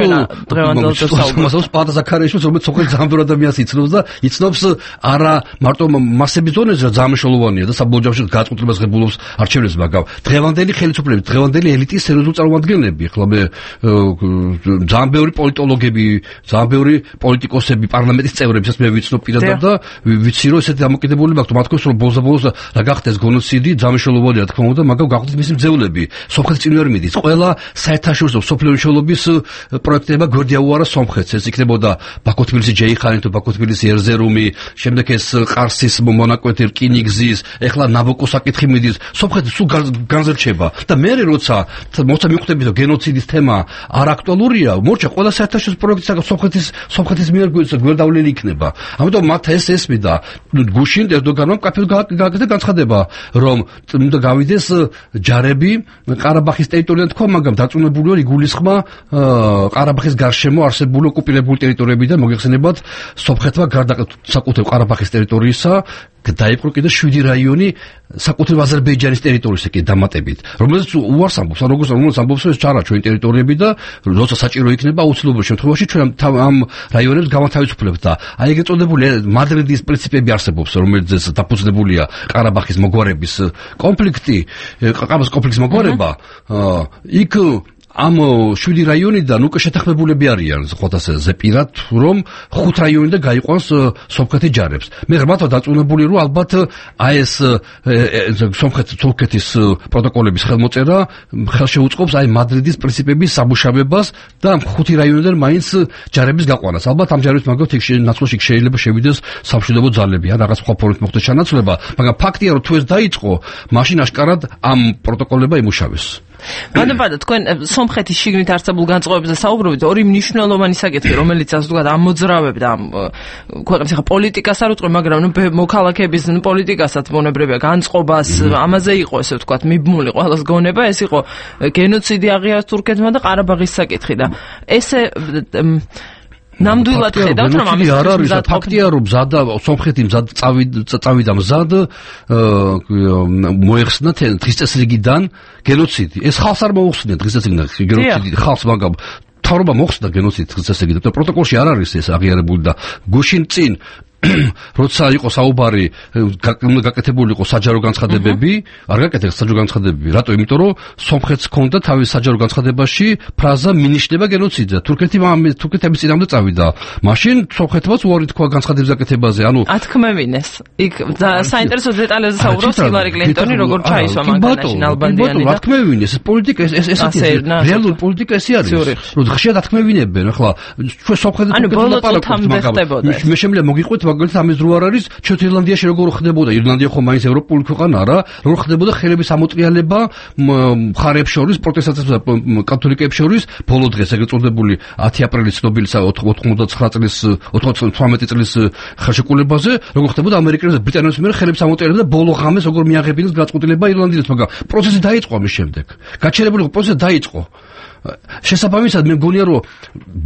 ამას პატა ზაქარიაშვილი, რომელიც სომხეთის ძალიან ბევრ ადამიანს იცნობს და იცნობს არა მარტო მასების დონეზე, რა ძალიან მნიშვნელოვანია და საბოლოო ჯამში გაწყვეტილებას ღებულობს არჩევნებს, მაგრამ დღევანდელი ხელისუფლების, დღევანდელი ელიტის სერიოზული წარმომადგენლები, ახლა მე ძალიან ბევრი პოლიტოლოგები, ძალიან ბევრი პოლიტიკოსები, პარლამენტის წევრებსაც მე ვიცნობ პირადად და ვიცი რომ ესეთი დამოკიდებულება აქვს, მათ თქოს რომ ბოლოს-ბოლოს რა გახდეს გენოციდი, ძალიან მნიშვნელოვანია რა თქმა უნდა, მაგრამ გახდეს მისი მძევლები. სომხეთის წინ ვერ მიდის. ყველა საერთაშორისო სოფლიო მნიშვნელობის პროექტება გვერდიაუარა სომხეთს. ეს იქნებოდა ბაქო-თბილისი ჯეიხანი თუ ბაქო-თბილისი ერზერუმი, შემდეგ ეს ყარსის მონაკვეთი რკინიგზის, ეხლა ნაბოკოს საკითხი მიდის. სომხეთი სულ განზრჩება და მე როცა მოცა მიხვდები რომ გენოციდის თემა არ აქტუალურია, მორჩა ყველა საერთაშორისო პროექტი სომხეთის სომხეთის მიერ გვერდავლილი იქნება. ამიტომ მათ ეს ესმიდა გუშინ ერდოგანმა კაფეოდ გააკეთა განცხადება, რომ უნდა გავიდეს ჯარები ყარაბახის ტერიტორიიდან თქვა, მაგრამ დაწუნებულია იგულისხმა ყარაბახის გარშემო არსებული ოკუპირებული ტერიტორიებიდან მოგეხსენებათ სომხეთმა გარდა საკუთრივ ყარაბახის ტერიტორიისა დაიპყრო კიდე შვიდი რაიონი საკუთრივ აზერბაიჯანის ტერიტორიაზე კი დამატებით, რომელიც უარს ამბობს, როგორც რომელიც ამბობს, ეს ჩარა ჩვენი ტერიტორიები და როცა საჭირო იქნება აუცილებლურ შემთხვევაში ჩვენ ამ რაიონებს გავათავისუფლებთ და აი ეგ ეწოდებული მადრიდის პრინციპები არსებობს, რომელიც დაფუძნებულია ყარაბახის მოგვარების კონფლიქტი, ყარაბახის კონფლიქტის მოგვარება, იქ ამ შვიდი რაიონიდან უკვე შეთანხმებულები არიან, ხოთ ასე ზეპირად, რომ ხუთ რაიონიდან გაიყვანს სომხეთის ჯარებს. მე ღრმად ვარ დარწმუნებული, რომ ალბათ აი ეს სომხეთ-თურქეთის პროტოკოლების ხელმოწერა ხელშეუწყობს აი მადრიდის პრინციპების სამუშავებას და ამ ხუთი რაიონიდან მაინც ჯარების გაყვანას. ალბათ ამ ჯარების მაგალითად იქ ნაცვლში შეიძლება შევიდეს სამშვიდობო ძალები, ან რაღაც სხვა ფორმით მოხდეს ჩანაცვლება, მაგრამ ფაქტია, რომ თუ ეს დაიწყო, მაშინ აშკარად ამ პროტოკოლებმა იმუშავეს. გადაბადა თქვენ სომხეთის შიგნით არსებულ განწყობებზე საუბრობთ, ორი მნიშვნელოვანი საკითხი, რომელიც ასე ვთქვათ ამოძრავებდა ამ ქვეყნის ხა პოლიტიკას არ უწყო, მაგრამ ნუ მოქალაქეების ნუ პოლიტიკასაც მონებრებია განწყობას, ამაზე იყო ესე ვთქვათ მიბმული ყველას გონება, ეს იყო გენოციდი აღიარეს თურქეთმა და ყარაბაღის საკითხი და ესე ნამდვილად ხედავთ რომ ამის არ არის ფაქტია რომ მზადა სომხეთი მზად წავიდა მზად მოეხსნა დღის წესრიგიდან გენოციდი. ეს ხალხს არ მოუხსნია დღის წესრიგიდან გენოციდი ხალხს მაგრამ თავრობა მოხსნა გენოციდი დღის წესრიგიდან. პროტოკოლში არ არის ეს აღიარებული და გუშინ წინ როცა იყო საუბარი გაკეთებული იყო საჯარო განცხადებები, არ გაკეთეს საჯარო განცხადებები. რატო? იმიტომ რომ სომხეთს ჰქონდა თავის საჯარო განცხადებაში ფრაზა მინიშნება გენოციდზე. თურქეთი თურქეთი ამის წინამდე წავიდა. მაშინ სომხეთმაც უარი თქვა განცხადების გაკეთებაზე. ანუ ათქმევინეს. იქ საინტერესო დეტალებზე საუბრობს ჰილარი კლინტონი, როგორ ჩაისვა მანქანაში ნალბანდიანი და ათქმევინეს. ეს პოლიტიკა ეს ესეთი რეალური პოლიტიკა ესე არის. რომ ხშირად ათქმევინებენ. ახლა ჩვენ სომხეთთან ლაპარაკობთ, მაგრამ მე შემიძლია მოგიყვეთ მაგალითად ამის დრო არ არის ჩვენ ირლანდიაში როგორ ხდებოდა ირლანდია ხო მაინც ევროპული ქვეყანა არა როგორ ხდებოდა ხელების ამოტრიალება მხარეებს შორის პროტესტაციებსა კათოლიკეებს შორის ბოლო დღეს ეგრეთ წოდებული ათი აპრილის ცნობილი ოთხმოცდათცხრა წლის ოცდათვრამეტი წლის ხელშეკრულებაზე როგორ ხდებოდა ამერიკელებს და ბრიტანელებს მიერ ხელების ამოტრიალება და ბოლო ღამეს როგორ მიაღებინეს გაწყვეტილება ირლანდიელებს მაგრამ პროცესი დაიწყო ამის შემდეგ გაჩერებული პროცესი დაიწყო შესაბამისად მე მგონია რომ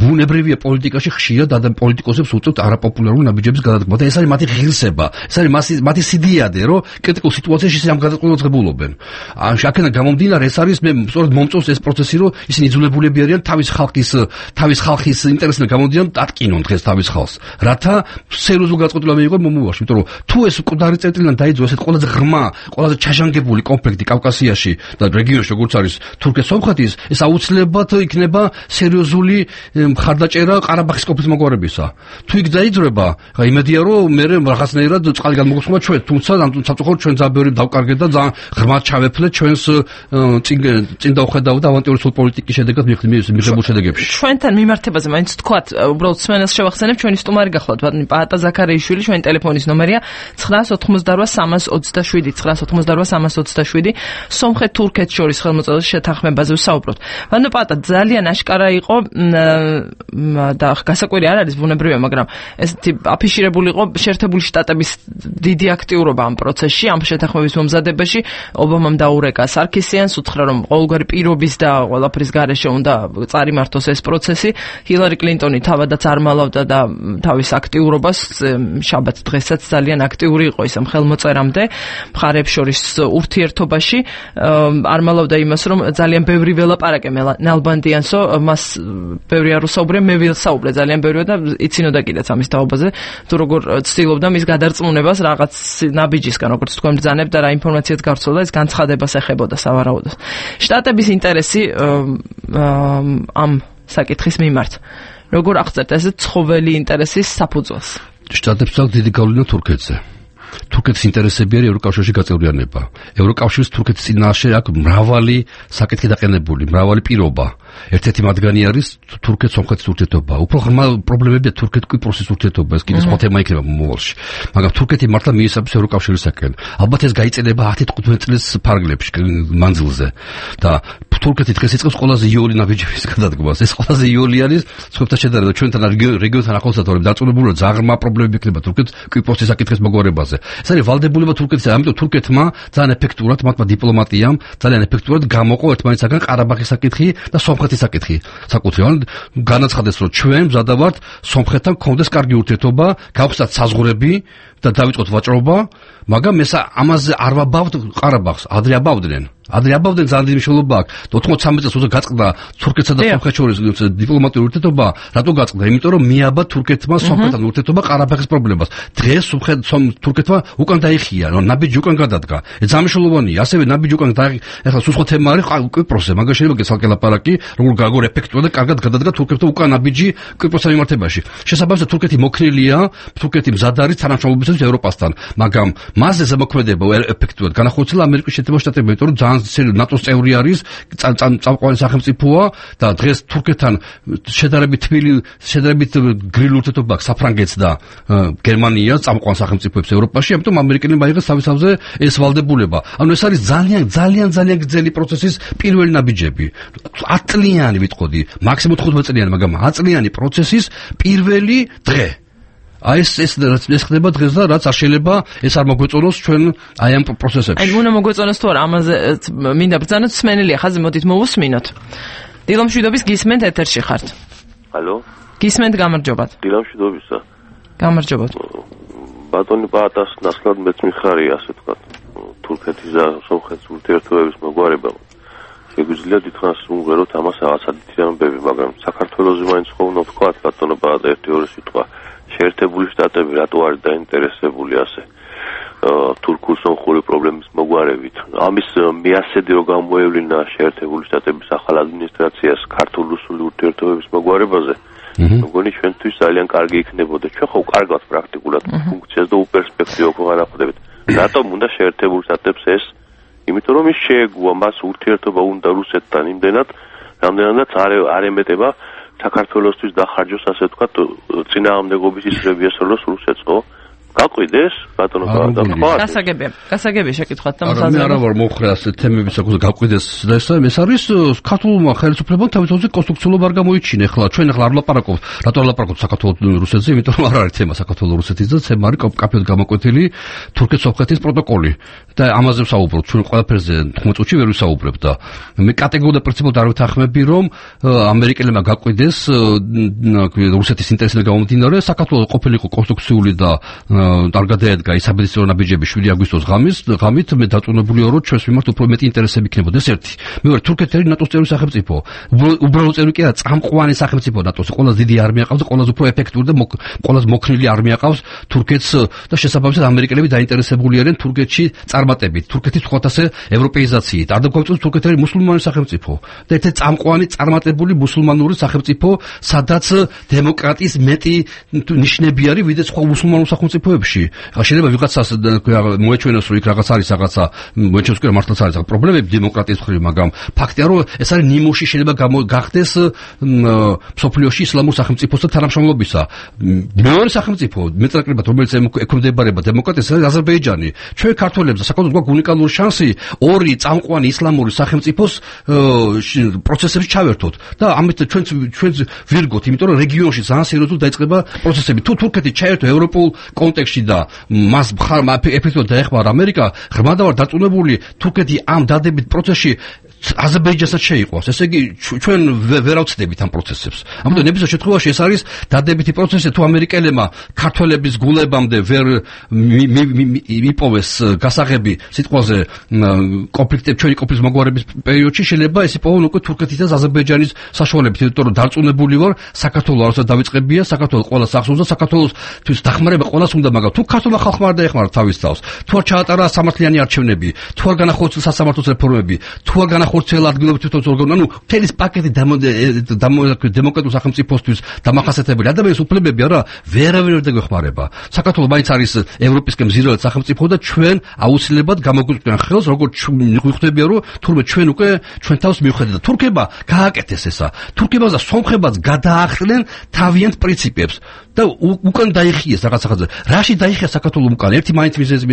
ბუნებრივია პოლიტიკაში ხშირად ადამ პოლიტიკოსებს უწევთ არაპოპულარული ნაბიჯების გადადგმა და ეს არის მათი ღირსება ეს არის მათი სიდიადე რომ კრიტიკულ სიტუაციაში ამ გადაწყვეტილებას ღებულობენ აქედან გამომდინარე ეს არის მე სწორედ მომწონს ეს პროცესი რომ ისინი იძულებულები არიან თავის ხალხის თავის ხალხის ინტერესიდან გამომდინარე დატკინონ დღეს თავის ხალხს რათა სერიოზული გადაწყვეტილება მიიღონ მომავალში იმიტომ რომ თუ ეს მკვდარი წერტილიდან დაიძო ესეთ ყველაზე ღრმა ყველაზე ჩაჟანგებული კონფლიქტი კავკასიაში და რეგიონში როგორც არის თურქეთ-სომხეთის ეს აუცილებლად ბათ იქნება სერიოზული მხარდაჭერა ყარაბაღის ყოფის მოგვარებისა. თუ იქ დაიძრება, ხა იმედია რომ მე რაღაცნაირად წყალი გამოგხსნა ჩვენ, თუმცა ამ სამწუხაროდ ჩვენ ძალიან დავკარგეთ და ძალიან ღრმად ჩავეფლეთ ჩვენს წინ წინ დავხედავ და ავანტიურული პოლიტიკის შედეგად მიღებულ შედეგებში. ჩვენთან მიმართებაზე მაინც თქვათ, უბრალოდ სმენელს შევახსენებ, ჩვენი სტუმარი გახლავთ, პაატა ზაქარიაშვილი, ჩვენი ტელეფონის ნომერია ცხრა ოცდაოთხმოცდაოთხ სამას ოცდაშვიდი ცხრა ოცდაოთხმოცდაოთხ სამას ოცდაშვიდი სომხეთ-თურქეთ შორის ხელმოწერის შეთანხმებაზე ვსაუბრობთ. ვანო პაატა ძალიან აშკარა იყო და გასაკვირი არ არის ბუნებრივია, მაგრამ ესეთი აფიშირებული იყო შეერთებული შტატების დიდი აქტიურობა ამ პროცესში, ამ შეთანხმების მომზადებაში. ობამამ დაურეკა სარქისიანს, უთხრა რომ ყოველგვარი პირობის და ყველაფრის გარეშე უნდა წარიმართოს ეს პროცესი. ჰილარი კლინტონი თავადაც არ მალავდა და თავის აქტიურობას შაბათ დღესაც ძალიან აქტიური იყო ის ამ ხელმოწერამდე მხარეებს შორის ურთიერთობაში. არ მალავდა იმას, რომ ძალიან ბევრი ველაპარაკე ნალბანდიანსო მას ბევრი არ უსაუბრე, მე ვილსაუბრე ძალიან ბევრი და იცინოდა კიდეც ამის თაობაზე, თუ როგორ ცდილობდა მის გადარწმუნებას რაღაც ნაბიჯისგან, როგორც თქვენ ბრძანებთ და რა ინფორმაციაც გავრცელდა, ეს განცხადებას ეხებოდა სავარაუდოდ. შტატების ინტერესი ამ საკითხის მიმართ. როგორ აღწერთ ეს ცხოველი ინტერესის საფუძველს? შტატებს აქვს დიდი გავლენა თურქეთზე. თურქეთის ინტერესები არის ევროკავშირში გაწევრიანება. ევროკავშირის თურქეთის წინაშე აქვს მრავალი საკითხი დაყენებული, მრავალი პირობა. ერთ-ერთი მათგანი არის თურქეთ-სომხეთის ურთიერთობა. უფრო ღრმა პრობლემებია თურქეთ-კვიპროსის ურთიერთობა, ეს კიდე სხვა თემა იქნება მომავალში. მაგრამ თურქეთი მართლა მიესაბამება ევროკავშირისაკენ. ალბათ ეს გაიწედება ათი თხუთმეტი წლის ფარგლებში, მანძილზე. და თურქეთი დღეს იწყებს ყველაზე იოლი ნაბიჯების გადადგმას. ეს ყველაზე იოლი არის სხვებთან შედარებით, ჩვენთან რეგიონთან ახლოსათორებ დაწუნებული ზაღრმა პრობლემები იქნება თურქეთ-კვიპროსის საკითხის მოგვარებაზე. ეს არის ვალდებულება თურქეთის, ამიტომ თურქეთმა ძალიან ეფექტურად, მათმა დიპლომატიამ ძალიან ეფექტურად გამოყო ერთმანეთსაგან ყარაბაღის საკითხი და სომხეთის საკითხი. საკუთრივ განაცხადეს, რომ ჩვენ მზადა ვართ სომხეთთან გქონდეს კარგი ურთიერთობა, გავხსნათ საზღვრები და დავიწყოთ ვაჭრობა, მაგრამ ესა ამაზე არ ვაბავთ ყარაბაღს, ადრე აბავდნენ. ადრე აბავდნენ ძალიან დიდი მნიშვნელობა აქვს. ოთხმოცდამეტი წელს როცა გაწყდა თურქეთსა და სომხეთს შორის დიპლომატიური ურთიერთობა, რატო გაწყდა? იმიტომ რომ მიაბა თურქეთმა სომხეთთან ურთიერთობა ყარაბაღის პრობლემას. დღეს თურქეთმა უკან დაიხია, რომ ნაბიჯი უკან გადადგა. ეს მნიშვნელოვანია. ასევე ნაბიჯი უკან დაიხია. ეხლა სულ სხვა თემა არის კვიპროსზე, მაგრამ შეიძლება გესალკე ლაპარაკი, როგორ გაგორ ეფექტურად და კარგად გადადგა თურქეთთან უკან ნაბიჯი კვიპროსთან მიმართებაში. შესაბამისად თურქეთი მოქნილია, თურქეთი მზად არის თანამშრომლობისათვის ევროპასთან, მაგრამ მასზე ზემოქმედება ეფექტურად განახორციელა ამერიკის შეერთებულ შტატებმა, იმიტომ რომ ძალიან ნატოს წევრი არის, წამყვანი სახელმწიფოა და დღეს თურქეთთან შედარებით თბილი, შედარებით გრილი ურთიერთობა აქვს საფრანგეთს და გერმანიას, წამყვან სახელმწიფოებს ევროპაში, ამიტომ ამერიკელებმა აიღეს თავის თავზე ეს ვალდებულება. ანუ ეს არის ძალიან ძალიან ძალიან გრძელი პროცესის პირველი ნაბიჯები. ათ წლიანი ვიტყოდი, მაქსიმუმ თხუთმეტი წლიანი, მაგრამ ათ წლიანი პროცესის პირველი დღე. აი ეს ეს ეს ხდება დღეს და რაც არ შეიძლება ეს არ მოგვეწონოს ჩვენ აი ამ პროცესებში. აი უნდა მოგვეწონოს თუ არა ამაზე მინდა ბრძანოთ სმენელია ხაზი მოდით მოვუსმინოთ. დილომშვიდობის გისმენთ ეთერში ხართ. ალო. გისმენთ გამარჯობათ. დილამშვიდობისა. გამარჯობათ. ბატონი ბაატას ნაცვლად მეც მიხარია, ასე ვთქვათ, თურქეთის და სომხეთის ურთიერთობების მოგვარება. შეგვიძლია დიდხანს ვუმღეროთ ამას რაღაცა დიდი ამბები, მაგრამ საქართველოზე მაინც ხო უნდა ვთქვათ, ბატონო ბაატა ერთი ორი სიტყვა. შეერთებული შტატები რატო არის დაინტერესებული ასე თურქულ-სომხური პრობლემის მოგვარებით? ამის მეასედი რო გამოევლინა შეერთებული შტატების ახალ ადმინისტრაციას ქართულ-რუსული ურთიერთობების მოგვარებაზე, მგონი ჩვენთვის ძალიან კარგი იქნებოდა. ჩვენ ხო კარგად პრაქტიკულად ფუნქციას და უპერსპექტივო ხო არ ახვდებით. რატომ უნდა შეერთებულ შტატებს ეს? იმიტომ რომ ის შეეგუა მას ურთიერთობა უნდა რუსეთთან იმდენად, რამდენადაც არ არ ემეტება საქართველოსთვის დახარჯოს, ასე ვთქვათ, წინააღმდეგობის ისრები ესროლოს რუსეთს, ხო? გაყვიდეს ბატონო ბაატა. გასაგებია, გასაგებია შეკითხვათ და მოსაზრება. არა, მე არა ვარ მომხრე ასე თემების საკუთე გაყვიდეს და ეს ეს არის ქართულმა ხელისუფლებამ თავისთავად კონსტრუქციულად არ გამოიჩინა. ახლა ჩვენ ახლა არ ვლაპარაკობთ, რატო არ ვლაპარაკობთ საქართველოს რუსეთზე, იმიტომ რომ არ არის თემა საქართველოს რუსეთის და თემა არის კაფედ გამოკვეთილი თურქეთ-სომხეთის პროტოკოლი. და ამაზე ვსაუბრობთ, ჩვენ ყველაფერზე თხმეტ წუთში ვერ ვისაუბრებთ და მე კატეგორიულად პრინციპულად არ ვთანხმები, რომ ამერიკელებმა გაყვიდეს რუსეთის ინტერესიდან გამომდინარე საქართველოს ყოფილიყო კონსტრუქციული და არ გადაედგა ის საბედისწერო ნაბიჯები შვიდი აგვისტოს ღამის ღამით მე დაწუნებული ვარო ჩვენს მიმართ უფრო მეტი ინტერესები იქნებოდა ეს ერთი. მეორე თურქეთი არის ნატოს წევრი სახელმწიფო. უბრალოდ წევრი კი არა, წამყვანი სახელმწიფო ნატოს. ყველაზე დიდი არმია ყავს და ყველაზე უფრო ეფექტური და ყველაზე მოქნილი არმია ყავს თურქეთს და შესაბამისად ამერიკელები დაინტერესებული არიან თურქეთში წარმატებით, თურქეთის ხოთასე ევროპეიზაციით. არ დაგვაწევს თურქეთი არის მუსულმანი სახელმწიფო და ერთ-ერთი წამყვანი წარმატებული მუსულმანური სახელმწიფო, სადაც დემოკრატიის მეტი ნიშნები არის ვიდრე სხვა მუსულმანურ სახელმწიფოებში. ხა შეიძლება ვიღაცას მოეჩვენოს რომ იქ რაღაც არის რაღაცა მოეჩვენოს რომ მართლაც არის პრობლემები დემოკრატიის მხრივ, მაგრამ ფაქტია რომ ეს არის ნიმუში შეიძლება გახდეს მსოფლიოში ისლამურ სახელმწიფოს და თანამშრომლობისა. მეორე სახელმწიფო მეტნაკლებად რომელიც ექვემდებარება დემოკრატიას არის აზერბაიჯანი. ჩვენ ქართველებს საკუთრად გვაქვს უნიკალური შანსი ორი წამყვანი ისლამური სახელმწიფოს პროცესებში ჩავერთოთ და ამით ჩვენ ჩვენ ვირგოთ, იმიტომ რომ რეგიონში ძალიან სერიოზულად დაიწყება პროცესები. თუ თურქეთი ჩაერთო ევროპულ კონტექსტში და მას ეფექტურად დაეხმარა ამერიკა, ღრმად ვარ დარწმუნებული თურქეთი ამ დადებით პროცესში აზერბაიჯანსაც შეიყვანს. ესე იგი ჩვენ ვერ ავწდებით ამ პროცესებს. ამიტომ ნებისმიერ შემთხვევაში ეს არის დადებითი პროცესი, თუ ამერიკელებმა ქართველების გულებამდე ვერ მიპოვეს გასაღები სიტყვაზე კონფლიქტები ჩვენი კონფლიქტის მოგვარების პერიოდში, შეიძლება ეს იპოვონ უკვე თურქეთის და აზერბაიჯანის საშუალებით, იმიტომ რომ დარწმუნებული ვარ საქართველოს არასდროს დავიწყებია, საქართველოს ყველას ახსოვს და საქართველოსთვის დახმარება ყველას უნდა, მაგრამ თუ ქართულმა ხალხმა არ დაეხმარა თავის თავს, თუ არ ჩაატარა სამართლიანი არჩევნები, თუ არ განახორციელა სასამართლოს რეფორმები, თუ არ განახორციელა ადგილობრივი თვითმმართველობა, ანუ თელის პაკეტი დემოკრატიულ სახელმწიფოსთვის დამახასიათებელი ადამიანის უფლებები არა ვერავინ ვერ დაგვეხმარება. საქართველოს მაინც არის ევროპისკენ მზირალეთ სახელმწიფო და ჩვენ აუცილებლად გამოგვიყვანს ხელს, როგორც ვიხვდებია, რომ თურმე ჩვენ უკვე ჩვენ თავს მივხედეთ და თურქება გააკეთეს ესა. თურქებაც და სომხებაც გადაახრნენ თავიანთ პრინციპებს და უკან დაიხიეს რაღაც ახალ. რაში დაიხია საქართველოს უკან? ერთი მაინც მიზეზი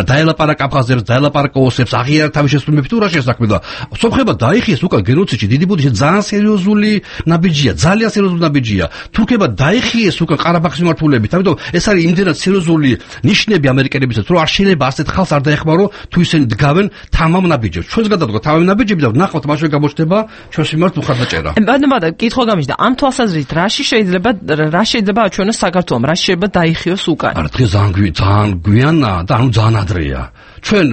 დაელაპარაკა აფხაზებს, დაელაპარაკა ოსებს, აღიარა თავის შესრულებებს თუ რა შესაქმე და სომხება დაიხიეს უკან გენოციდში დიდი ბუდიში ძალიან სერიოზული ნაბიჯია, ძალიან სერიოზული ნაბიჯია. თურქება დაიხიეს უკან ყარაბაღის მიმართულებით. ამიტომ ეს არის იმდენად სერიოზული ნიშნები ამერიკელებისაც, რომ არ შეიძლება ასეთ ხალხს არ დაეხმარო თუ ისინი დგავენ თამამ ნაბიჯებს. ჩვენს გადავდგა თამამ ნაბიჯები და ნახავთ მაშინ გამოჩნდება ჩვენს მიმართ უხარდაჭერა. ბატონო, კითხვა გამიჩნდა ამ თვალსაზრისით რაში შეიძლება რა შეიძლება აჩვენოს საქართველოს, რა შეიძლება დაიხიოს უკან? არა, დღეს ძალიან გვიანა და ანუ ძალიან ადრეა. ჩვენ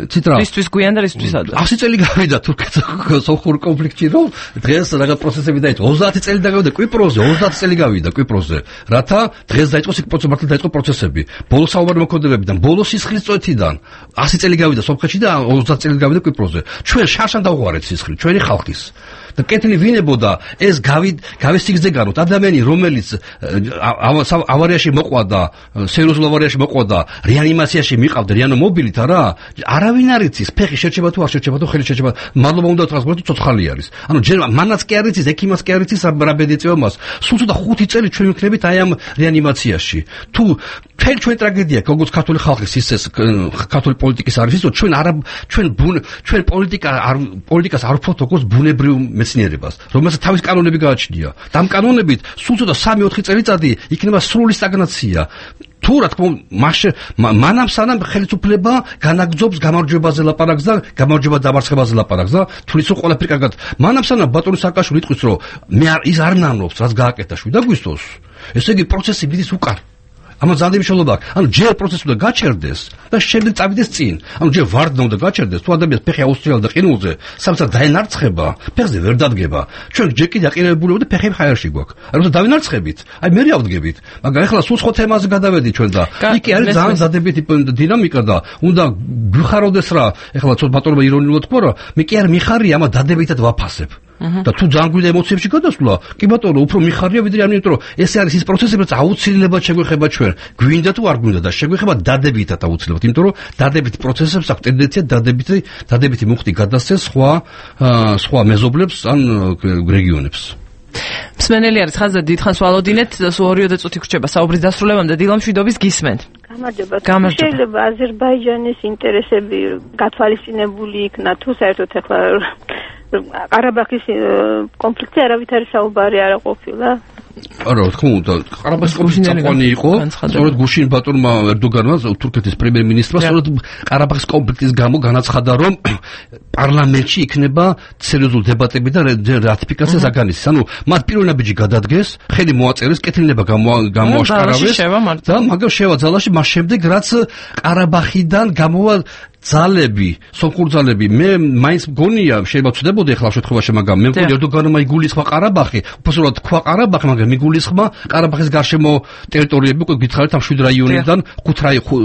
ციტრა ისთვის გვიან და ისთვის ადრე. ასი წელი გავიდა თურქეთ-სომხურ კონფლიქტში, რომ დღეს რაღაც პროცესები დაიწყო. ოცდაათი წელი გავიდა კვიპროსზე, ოცდაათი წელი გავიდა კვიპროსზე. რათა დღეს დაიწყოს იქ პროცესები, დაიწყო პროცესები. ბოლო საუბარი მოქმედებებიდან, ბოლო სისხლის წვეთიდან ასი წელი გავიდა სომხეთში და ოცდაათი წელი გავიდა კვიპროსზე. ჩვენ შარშან დავღვარეთ სისხლი, ჩვენი ხალხის. და კეთილი ვინებოდა ეს გავისიგზე განოთ ადამიანი რომელიც ავარიაში მოყვა და სერიოზულ ავარიაში მოყვა და რეანიმაციაში მიყავდა რეანიმობილით არა არავინ არ იცის ფეხი შეჭება თუ არ შეჭება თუ ხელი შეჭება მადლობა უნდა უთხრას თუ ცოცხალი არის ანუ ჯერ მანაც კი არ იცის ექიმას კი არ იცის რა ბედეწევა მას სულ ცოტა ხუთი წელი ჩვენ ვიქნებით აი ამ რეანიმაციაში თუ ჩვენ ჩვენ ტრაგედია როგორც ქართული ხალხის ისეს ქართული პოლიტიკის არის ის რომ ჩვენ არა ჩვენ ჩვენ პოლიტიკა არ პოლიტიკას არ ვფოთ როგორც ბუნებრივ მეცნიერებას, რომელსაც თავის კანონები გააჩნია. და ამ კანონებით სულ ცოტა სამი ოთხი წელიწადი იქნება სრული სტაგნაცია. თუ რა თქმა უნდა მასე მანამ სანამ ხელისუფლება განაგძობს გამარჯვებაზე ლაპარაკს და გამარჯვება დამარცხებაზე ლაპარაკს და თulis რომ ყველაფერი კარგად მანამ სანამ ბატონი სააკაშვილი იტყვის რომ მე ის არ ნამნობს რაც გააკეთა შვიდ აგვისტოს ესე იგი პროცესი მიდის უკან ამას ძალიან მნიშვნელობა აქვს. ანუ ჯერ პროცესი უნდა გაჩერდეს და შემდეგ წავიდეს წინ. ანუ ჯერ ვარდნა უნდა გაჩერდეს, თუ ადამიანს ფეხი აუსწრიალა და ყინულზე, სამსა დაენარცხება, ფეხზე ვერ დადგება. ჩვენ ჯერ კიდე აყინებულები და ფეხები ხაერში გვაქვს. აი როცა დავინარცხებით, აი მე ავდგებით. მაგრამ ახლა სულ სხვა თემაზე გადავედი ჩვენ და იქ არის ძალიან დადებითი დინამიკა და უნდა გვიხაროდეს რა. ახლა ცოტა ბატონობა ირონიულად თქვა რა, მე კი არ მიხარია ამა დადებითად ვაფასებ. და თუ ძალიან გვიდა ემოციებში გადასვლა, კი ბატონო, უფრო მიხარია ვიდრე ამიტომ რომ ეს არის ის პროცესი, რაც აუცილებლად შეგვეხება ჩვენ. გვინდა თუ არ გვინდა და შეგვეხება დადებითად აუცილებლად, იმიტომ რომ დადებითი პროცესებს აქვს ტენდენცია დადებითი დადებითი მუხტი გადასცეს სხვა სხვა მეზობლებს ან რეგიონებს. მსმენელი არის ხაზზე დიდხანს ვალოდინეთ, სულ ორიოდე წუთი გრჩება საუბრის დასრულებამდე დილა მშვიდობის გისმენთ. გამარჯობა. შეიძლება აზერბაიჯანის ინტერესები გათვალისწინებული იქნა თუ საერთოდ ახლა ყარაბაღის კონფლიქტი არავითარი საუბარი არ ყოფილა. არა, თქმა უნდა, ყარაბაღის კონფლიქტი წამყვანი იყო. სწორედ გუშინ ბატონმა ერდოგანმა, თურქეთის პრემიერ-მინისტრმა, სწორედ ყარაბაღის კონფლიქტის გამო განაცხადა, რომ პარლამენტში იქნება სერიოზული დებატები და რატიფიკაცია საგანისის. ანუ მათ პირველ ნაბიჯი გადადგეს, ხელი მოაწერეს, კეთილება გამოაშკარავეს და მაგრამ შევა ძალაში მას შემდეგ, რაც ყარაბაღიდან გამოვა ძალები, სომხური ძალები, მე მაინც მგონია, შეიძლება ვწდებოდი ახლა შემთხვევაში, მაგრამ მე მგონია ერდოგანმა იგულისხმა ყარაბაღი, უბრალოდ თქვა ყარაბაღი, მაგრამ მიგულისხმა ყარაბაღის გარშემო ტერიტორიები, უკვე გითხარით ამ შვიდ რაიონიდან,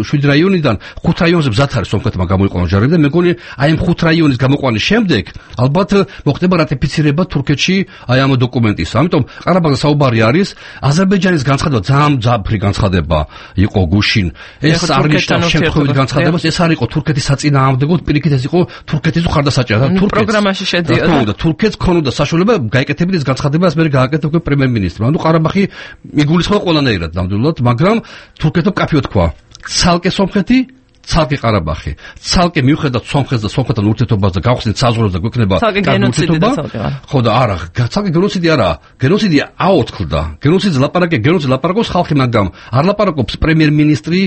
შვიდ რაიონიდან, ხუთ რაიონზე მზად არის სომხეთმა გამოიყვანოს ჯარები და მე მგონი აი ამ ხუთ რაიონის გამოყვანის შემდეგ, ალბათ მოხდება რატიფიცირება თურქეთში აი ამ დოკუმენტის. ამიტომ ყარაბაღზე საუბარი არის, აზერბაიჯანის განცხადება ძალიან ძაფრი განცხადება იყო გუშინ. ეს არ ნიშნავს შემთხვევით განცხადებას, ეს არ იყო თურქეთის საწინააღმდეგოდ პირიქით ეს იყო თურქეთის ხარდასაჭერად. თურქეთს პროგრამაში შედიოდა. თურქეთს ქონოდა საშუალება გაეკეთებინა ეს განცხადება, მე გააკეთა პრემიერ-მინისტრმა. ანუ ყარაბაღი მიგულისხმა ყველანაირად ნამდვილად, მაგრამ თურქეთმა კაფეო თქვა. ცალკე სომხეთი ცალკე ყარაბაღი, ცალკე მიუხედავად სომხეთს და სომხეთთან ურთიერთობას და გავხსნით საზღვრებს და გვექნება გენოციდი. ხო და არა, ცალკე გენოციდი არა, გენოციდი აოთქლდა. გენოციდის ლაპარაკი, გენოციდის ლაპარაკობს ხალხი, მაგრამ არ ლაპარაკობს პრემიერ-მინისტრი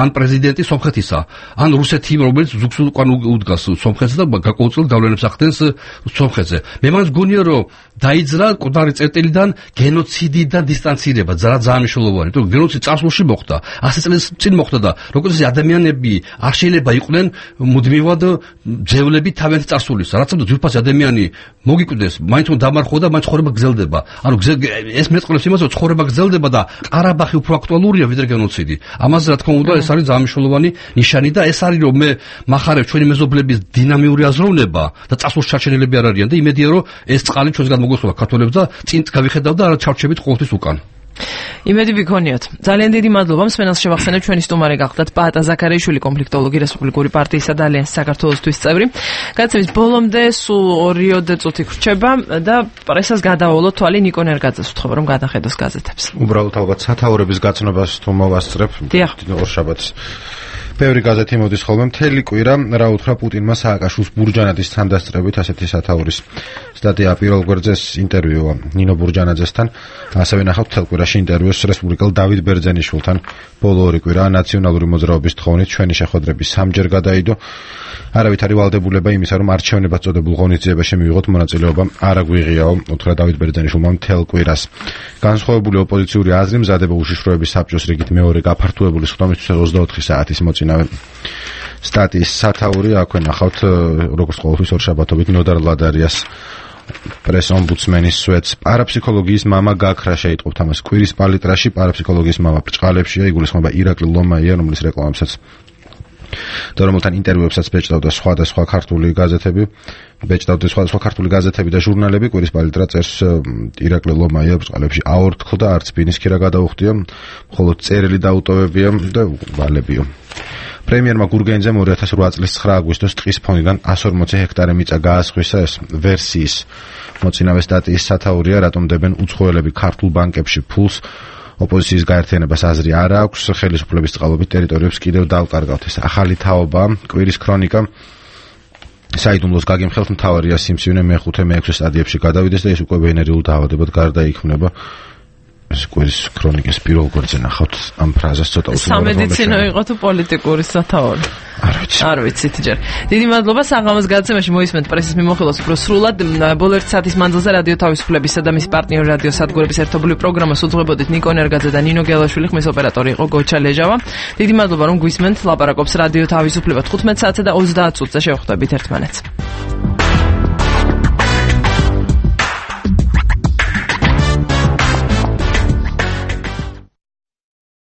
ან პრეზიდენტი სომხეთისა, ან რუსეთი, რომელიც ზუგს უკან უდგას სომხეთს და გაკონტროლ გავლენებს ახდენს სომხეთზე. მე მაინც გონია, რომ დაიძრა კოდარი წერტილიდან გენოციდი და დისტანცირება, ძალიან მნიშვნელოვანი, იმიტომ რომ გენოციდი წარსულში მოხდა, ასი წლის წინ მოხდა და როგორც ადამიანები არ შეიძლება იყვნენ მუდმივად ძევლები თავიანთი წარსულისა. რაც უნდა ძვირფასი ადამიანი მოგიკვდეს, მაინც უნდა დამარხო და მაინც ცხოვრება გრძელდება. ანუ ეს მეტყველებს იმას, რომ ცხოვრება გრძელდება და ყარაბაღი უფრო აქტუალურია ვიდრე გენოციდი. ამაზე რა თქმა უნდა ეს არის ძალიან მნიშვნელოვანი ნიშანი და ეს არის რომ მე მახარებ ჩვენი მეზობლების დინამიური აზროვნება და წარსულში ჩარჩენილები არ არიან და იმედია რომ ეს წყალი ჩვენსგან მოგესწრება ქართველებს და წინ გავიხედავ და არა ჩარჩებით ყოველთვის უკან. იმედი ვიქონიოთ. ძალიან დიდი მადლობა. მსმენელს შევახსენებ, ჩვენი სტუმარი გახდათ პაატა ზაქარიაშვილი, კონფლიქტოლოგი, რესპუბლიკური პარტიისა და ალიანსის საქართველოსთვის წევრი. გადაცემის ბოლომდე სულ ორიოდე წუთი გრჩება და პრესას გადაავალოთ თვალი ნიკო ნერგაძეს უთხოვა, რომ გადახედოს გაზეთებს. უბრალოდ ალბათ სათაურების გაცნობას თუ მოვასწრებ ორშაბათს. ბევრი გაზეთი მოდის ხოლმე მთელი კვირა რა უთხრა პუტინმა სააკაშვილის ბურჯანაძის თანდასწრებით ასეთი სათაურის სტატია პირველ გვერდზე ინტერვიუა ნინო ბურჯანაძესთან ასევე ნახავთ მთელ კვირაში ინტერვიუს რესპუბლიკელ დავით ბერძენიშვილთან ბოლო ორი კვირა ნაციონალური მოძრაობის თხოვნით ჩვენი შეხვედრები სამჯერ გადაიდო არავითარი ვალდებულება იმისა რომ არჩევნებად წოდებულ ღონისძიებაში მივიღოთ მონაწილეობა არ აგვიღიაო უთხრა დავით ბერძენიშვილმა მთელ კვირას განსხვავებული ოპოზიციური აზრი მზადება უშიშროების საბჭოს რიგით მეორე გაფართოებული სხდომისთვის ოცდაოთხი საათის მოწინავე სტატიის სათაური აქვე ნახავთ როგორც ყოველთვის ორშაბათობით ნოდარ ლადარიას პრეს ომბუდსმენის სვეტს პარაფსიქოლოგიის მამა გაქრა შეიტყობთ ამას კვირის პალიტრაში პარაფსიქოლოგიის მამა ბრჭყალებშია იგულისხმება ირაკლი ლომაია რომლის რეკლამებსაც და რომელთან ინტერვიუებსაც ბეჭდავდა სხვადასხვა ქართული გაზეთები ბეჭდავდა სხვადასხვა ქართული გაზეთები და ჟურნალები კვირის პალიტრა წერს ირაკლი ლომაია ბრჭყალებში აორთქლდა არც ბინის ქირა გადაუხდია მხოლოდ წერილი დაუტოვებია და ვალებიო პრემიერმა გურგენიძემ ორი ათას ოთხ წლის ცხრა აგვისტოს ტყის ფონიდან εκατს ორმოცი ჰექტარი მიწა გაასხვისა ეს ვერსიის მოწინავე სტატიის სათაურია რატომ დებენ უცხოელები ქართულ ბანკებში ფულს ოპოზიციის გაერთიანებას აზრი არ აქვს ხელისუფლების წყალობით ტერიტორიებს კიდევ დავკარგავთ ეს ახალი თაობა კვირის ქრონიკა საიდუმლოს გაგიმხელთ მთავარია სიმსივნე მეხუთე მეექვსე სტადიებში გადავიდეს და ის უკვე ვენერიულ დაავადებად გარდაიქმნება კვირის ქრონიკის პირველ გვერდზე ნახავთ ამ ფრაზას ცოტა უცნობად. სამედიცინო იყო თუ პოლიტიკური სათაური? არ ვიცი. არ ვიცით ჯერ. დიდი მადლობა საღამოს გადაცემაში მოისმენთ პრესის მიმოხილვას უფრო სრულად. ბოლო ერთი საათის მანძილზე რადიო თავისუფლებისა და მისი პარტნიორი რადიო სადგურების ერთობლივ პროგრამას უძღვებოდით ნიკო ნერგაძე და ნინო გელაშვილი, ხმის ოპერატორი იყო გოჩა ლეჟავა. დიდი მადლობა რომ გვისმენთ. ლაპარაკობს რადიო თავისუფლება თხუთმეტ საათზე და ოცდაათ წუთზე შევხვდებით ერთმანეთს.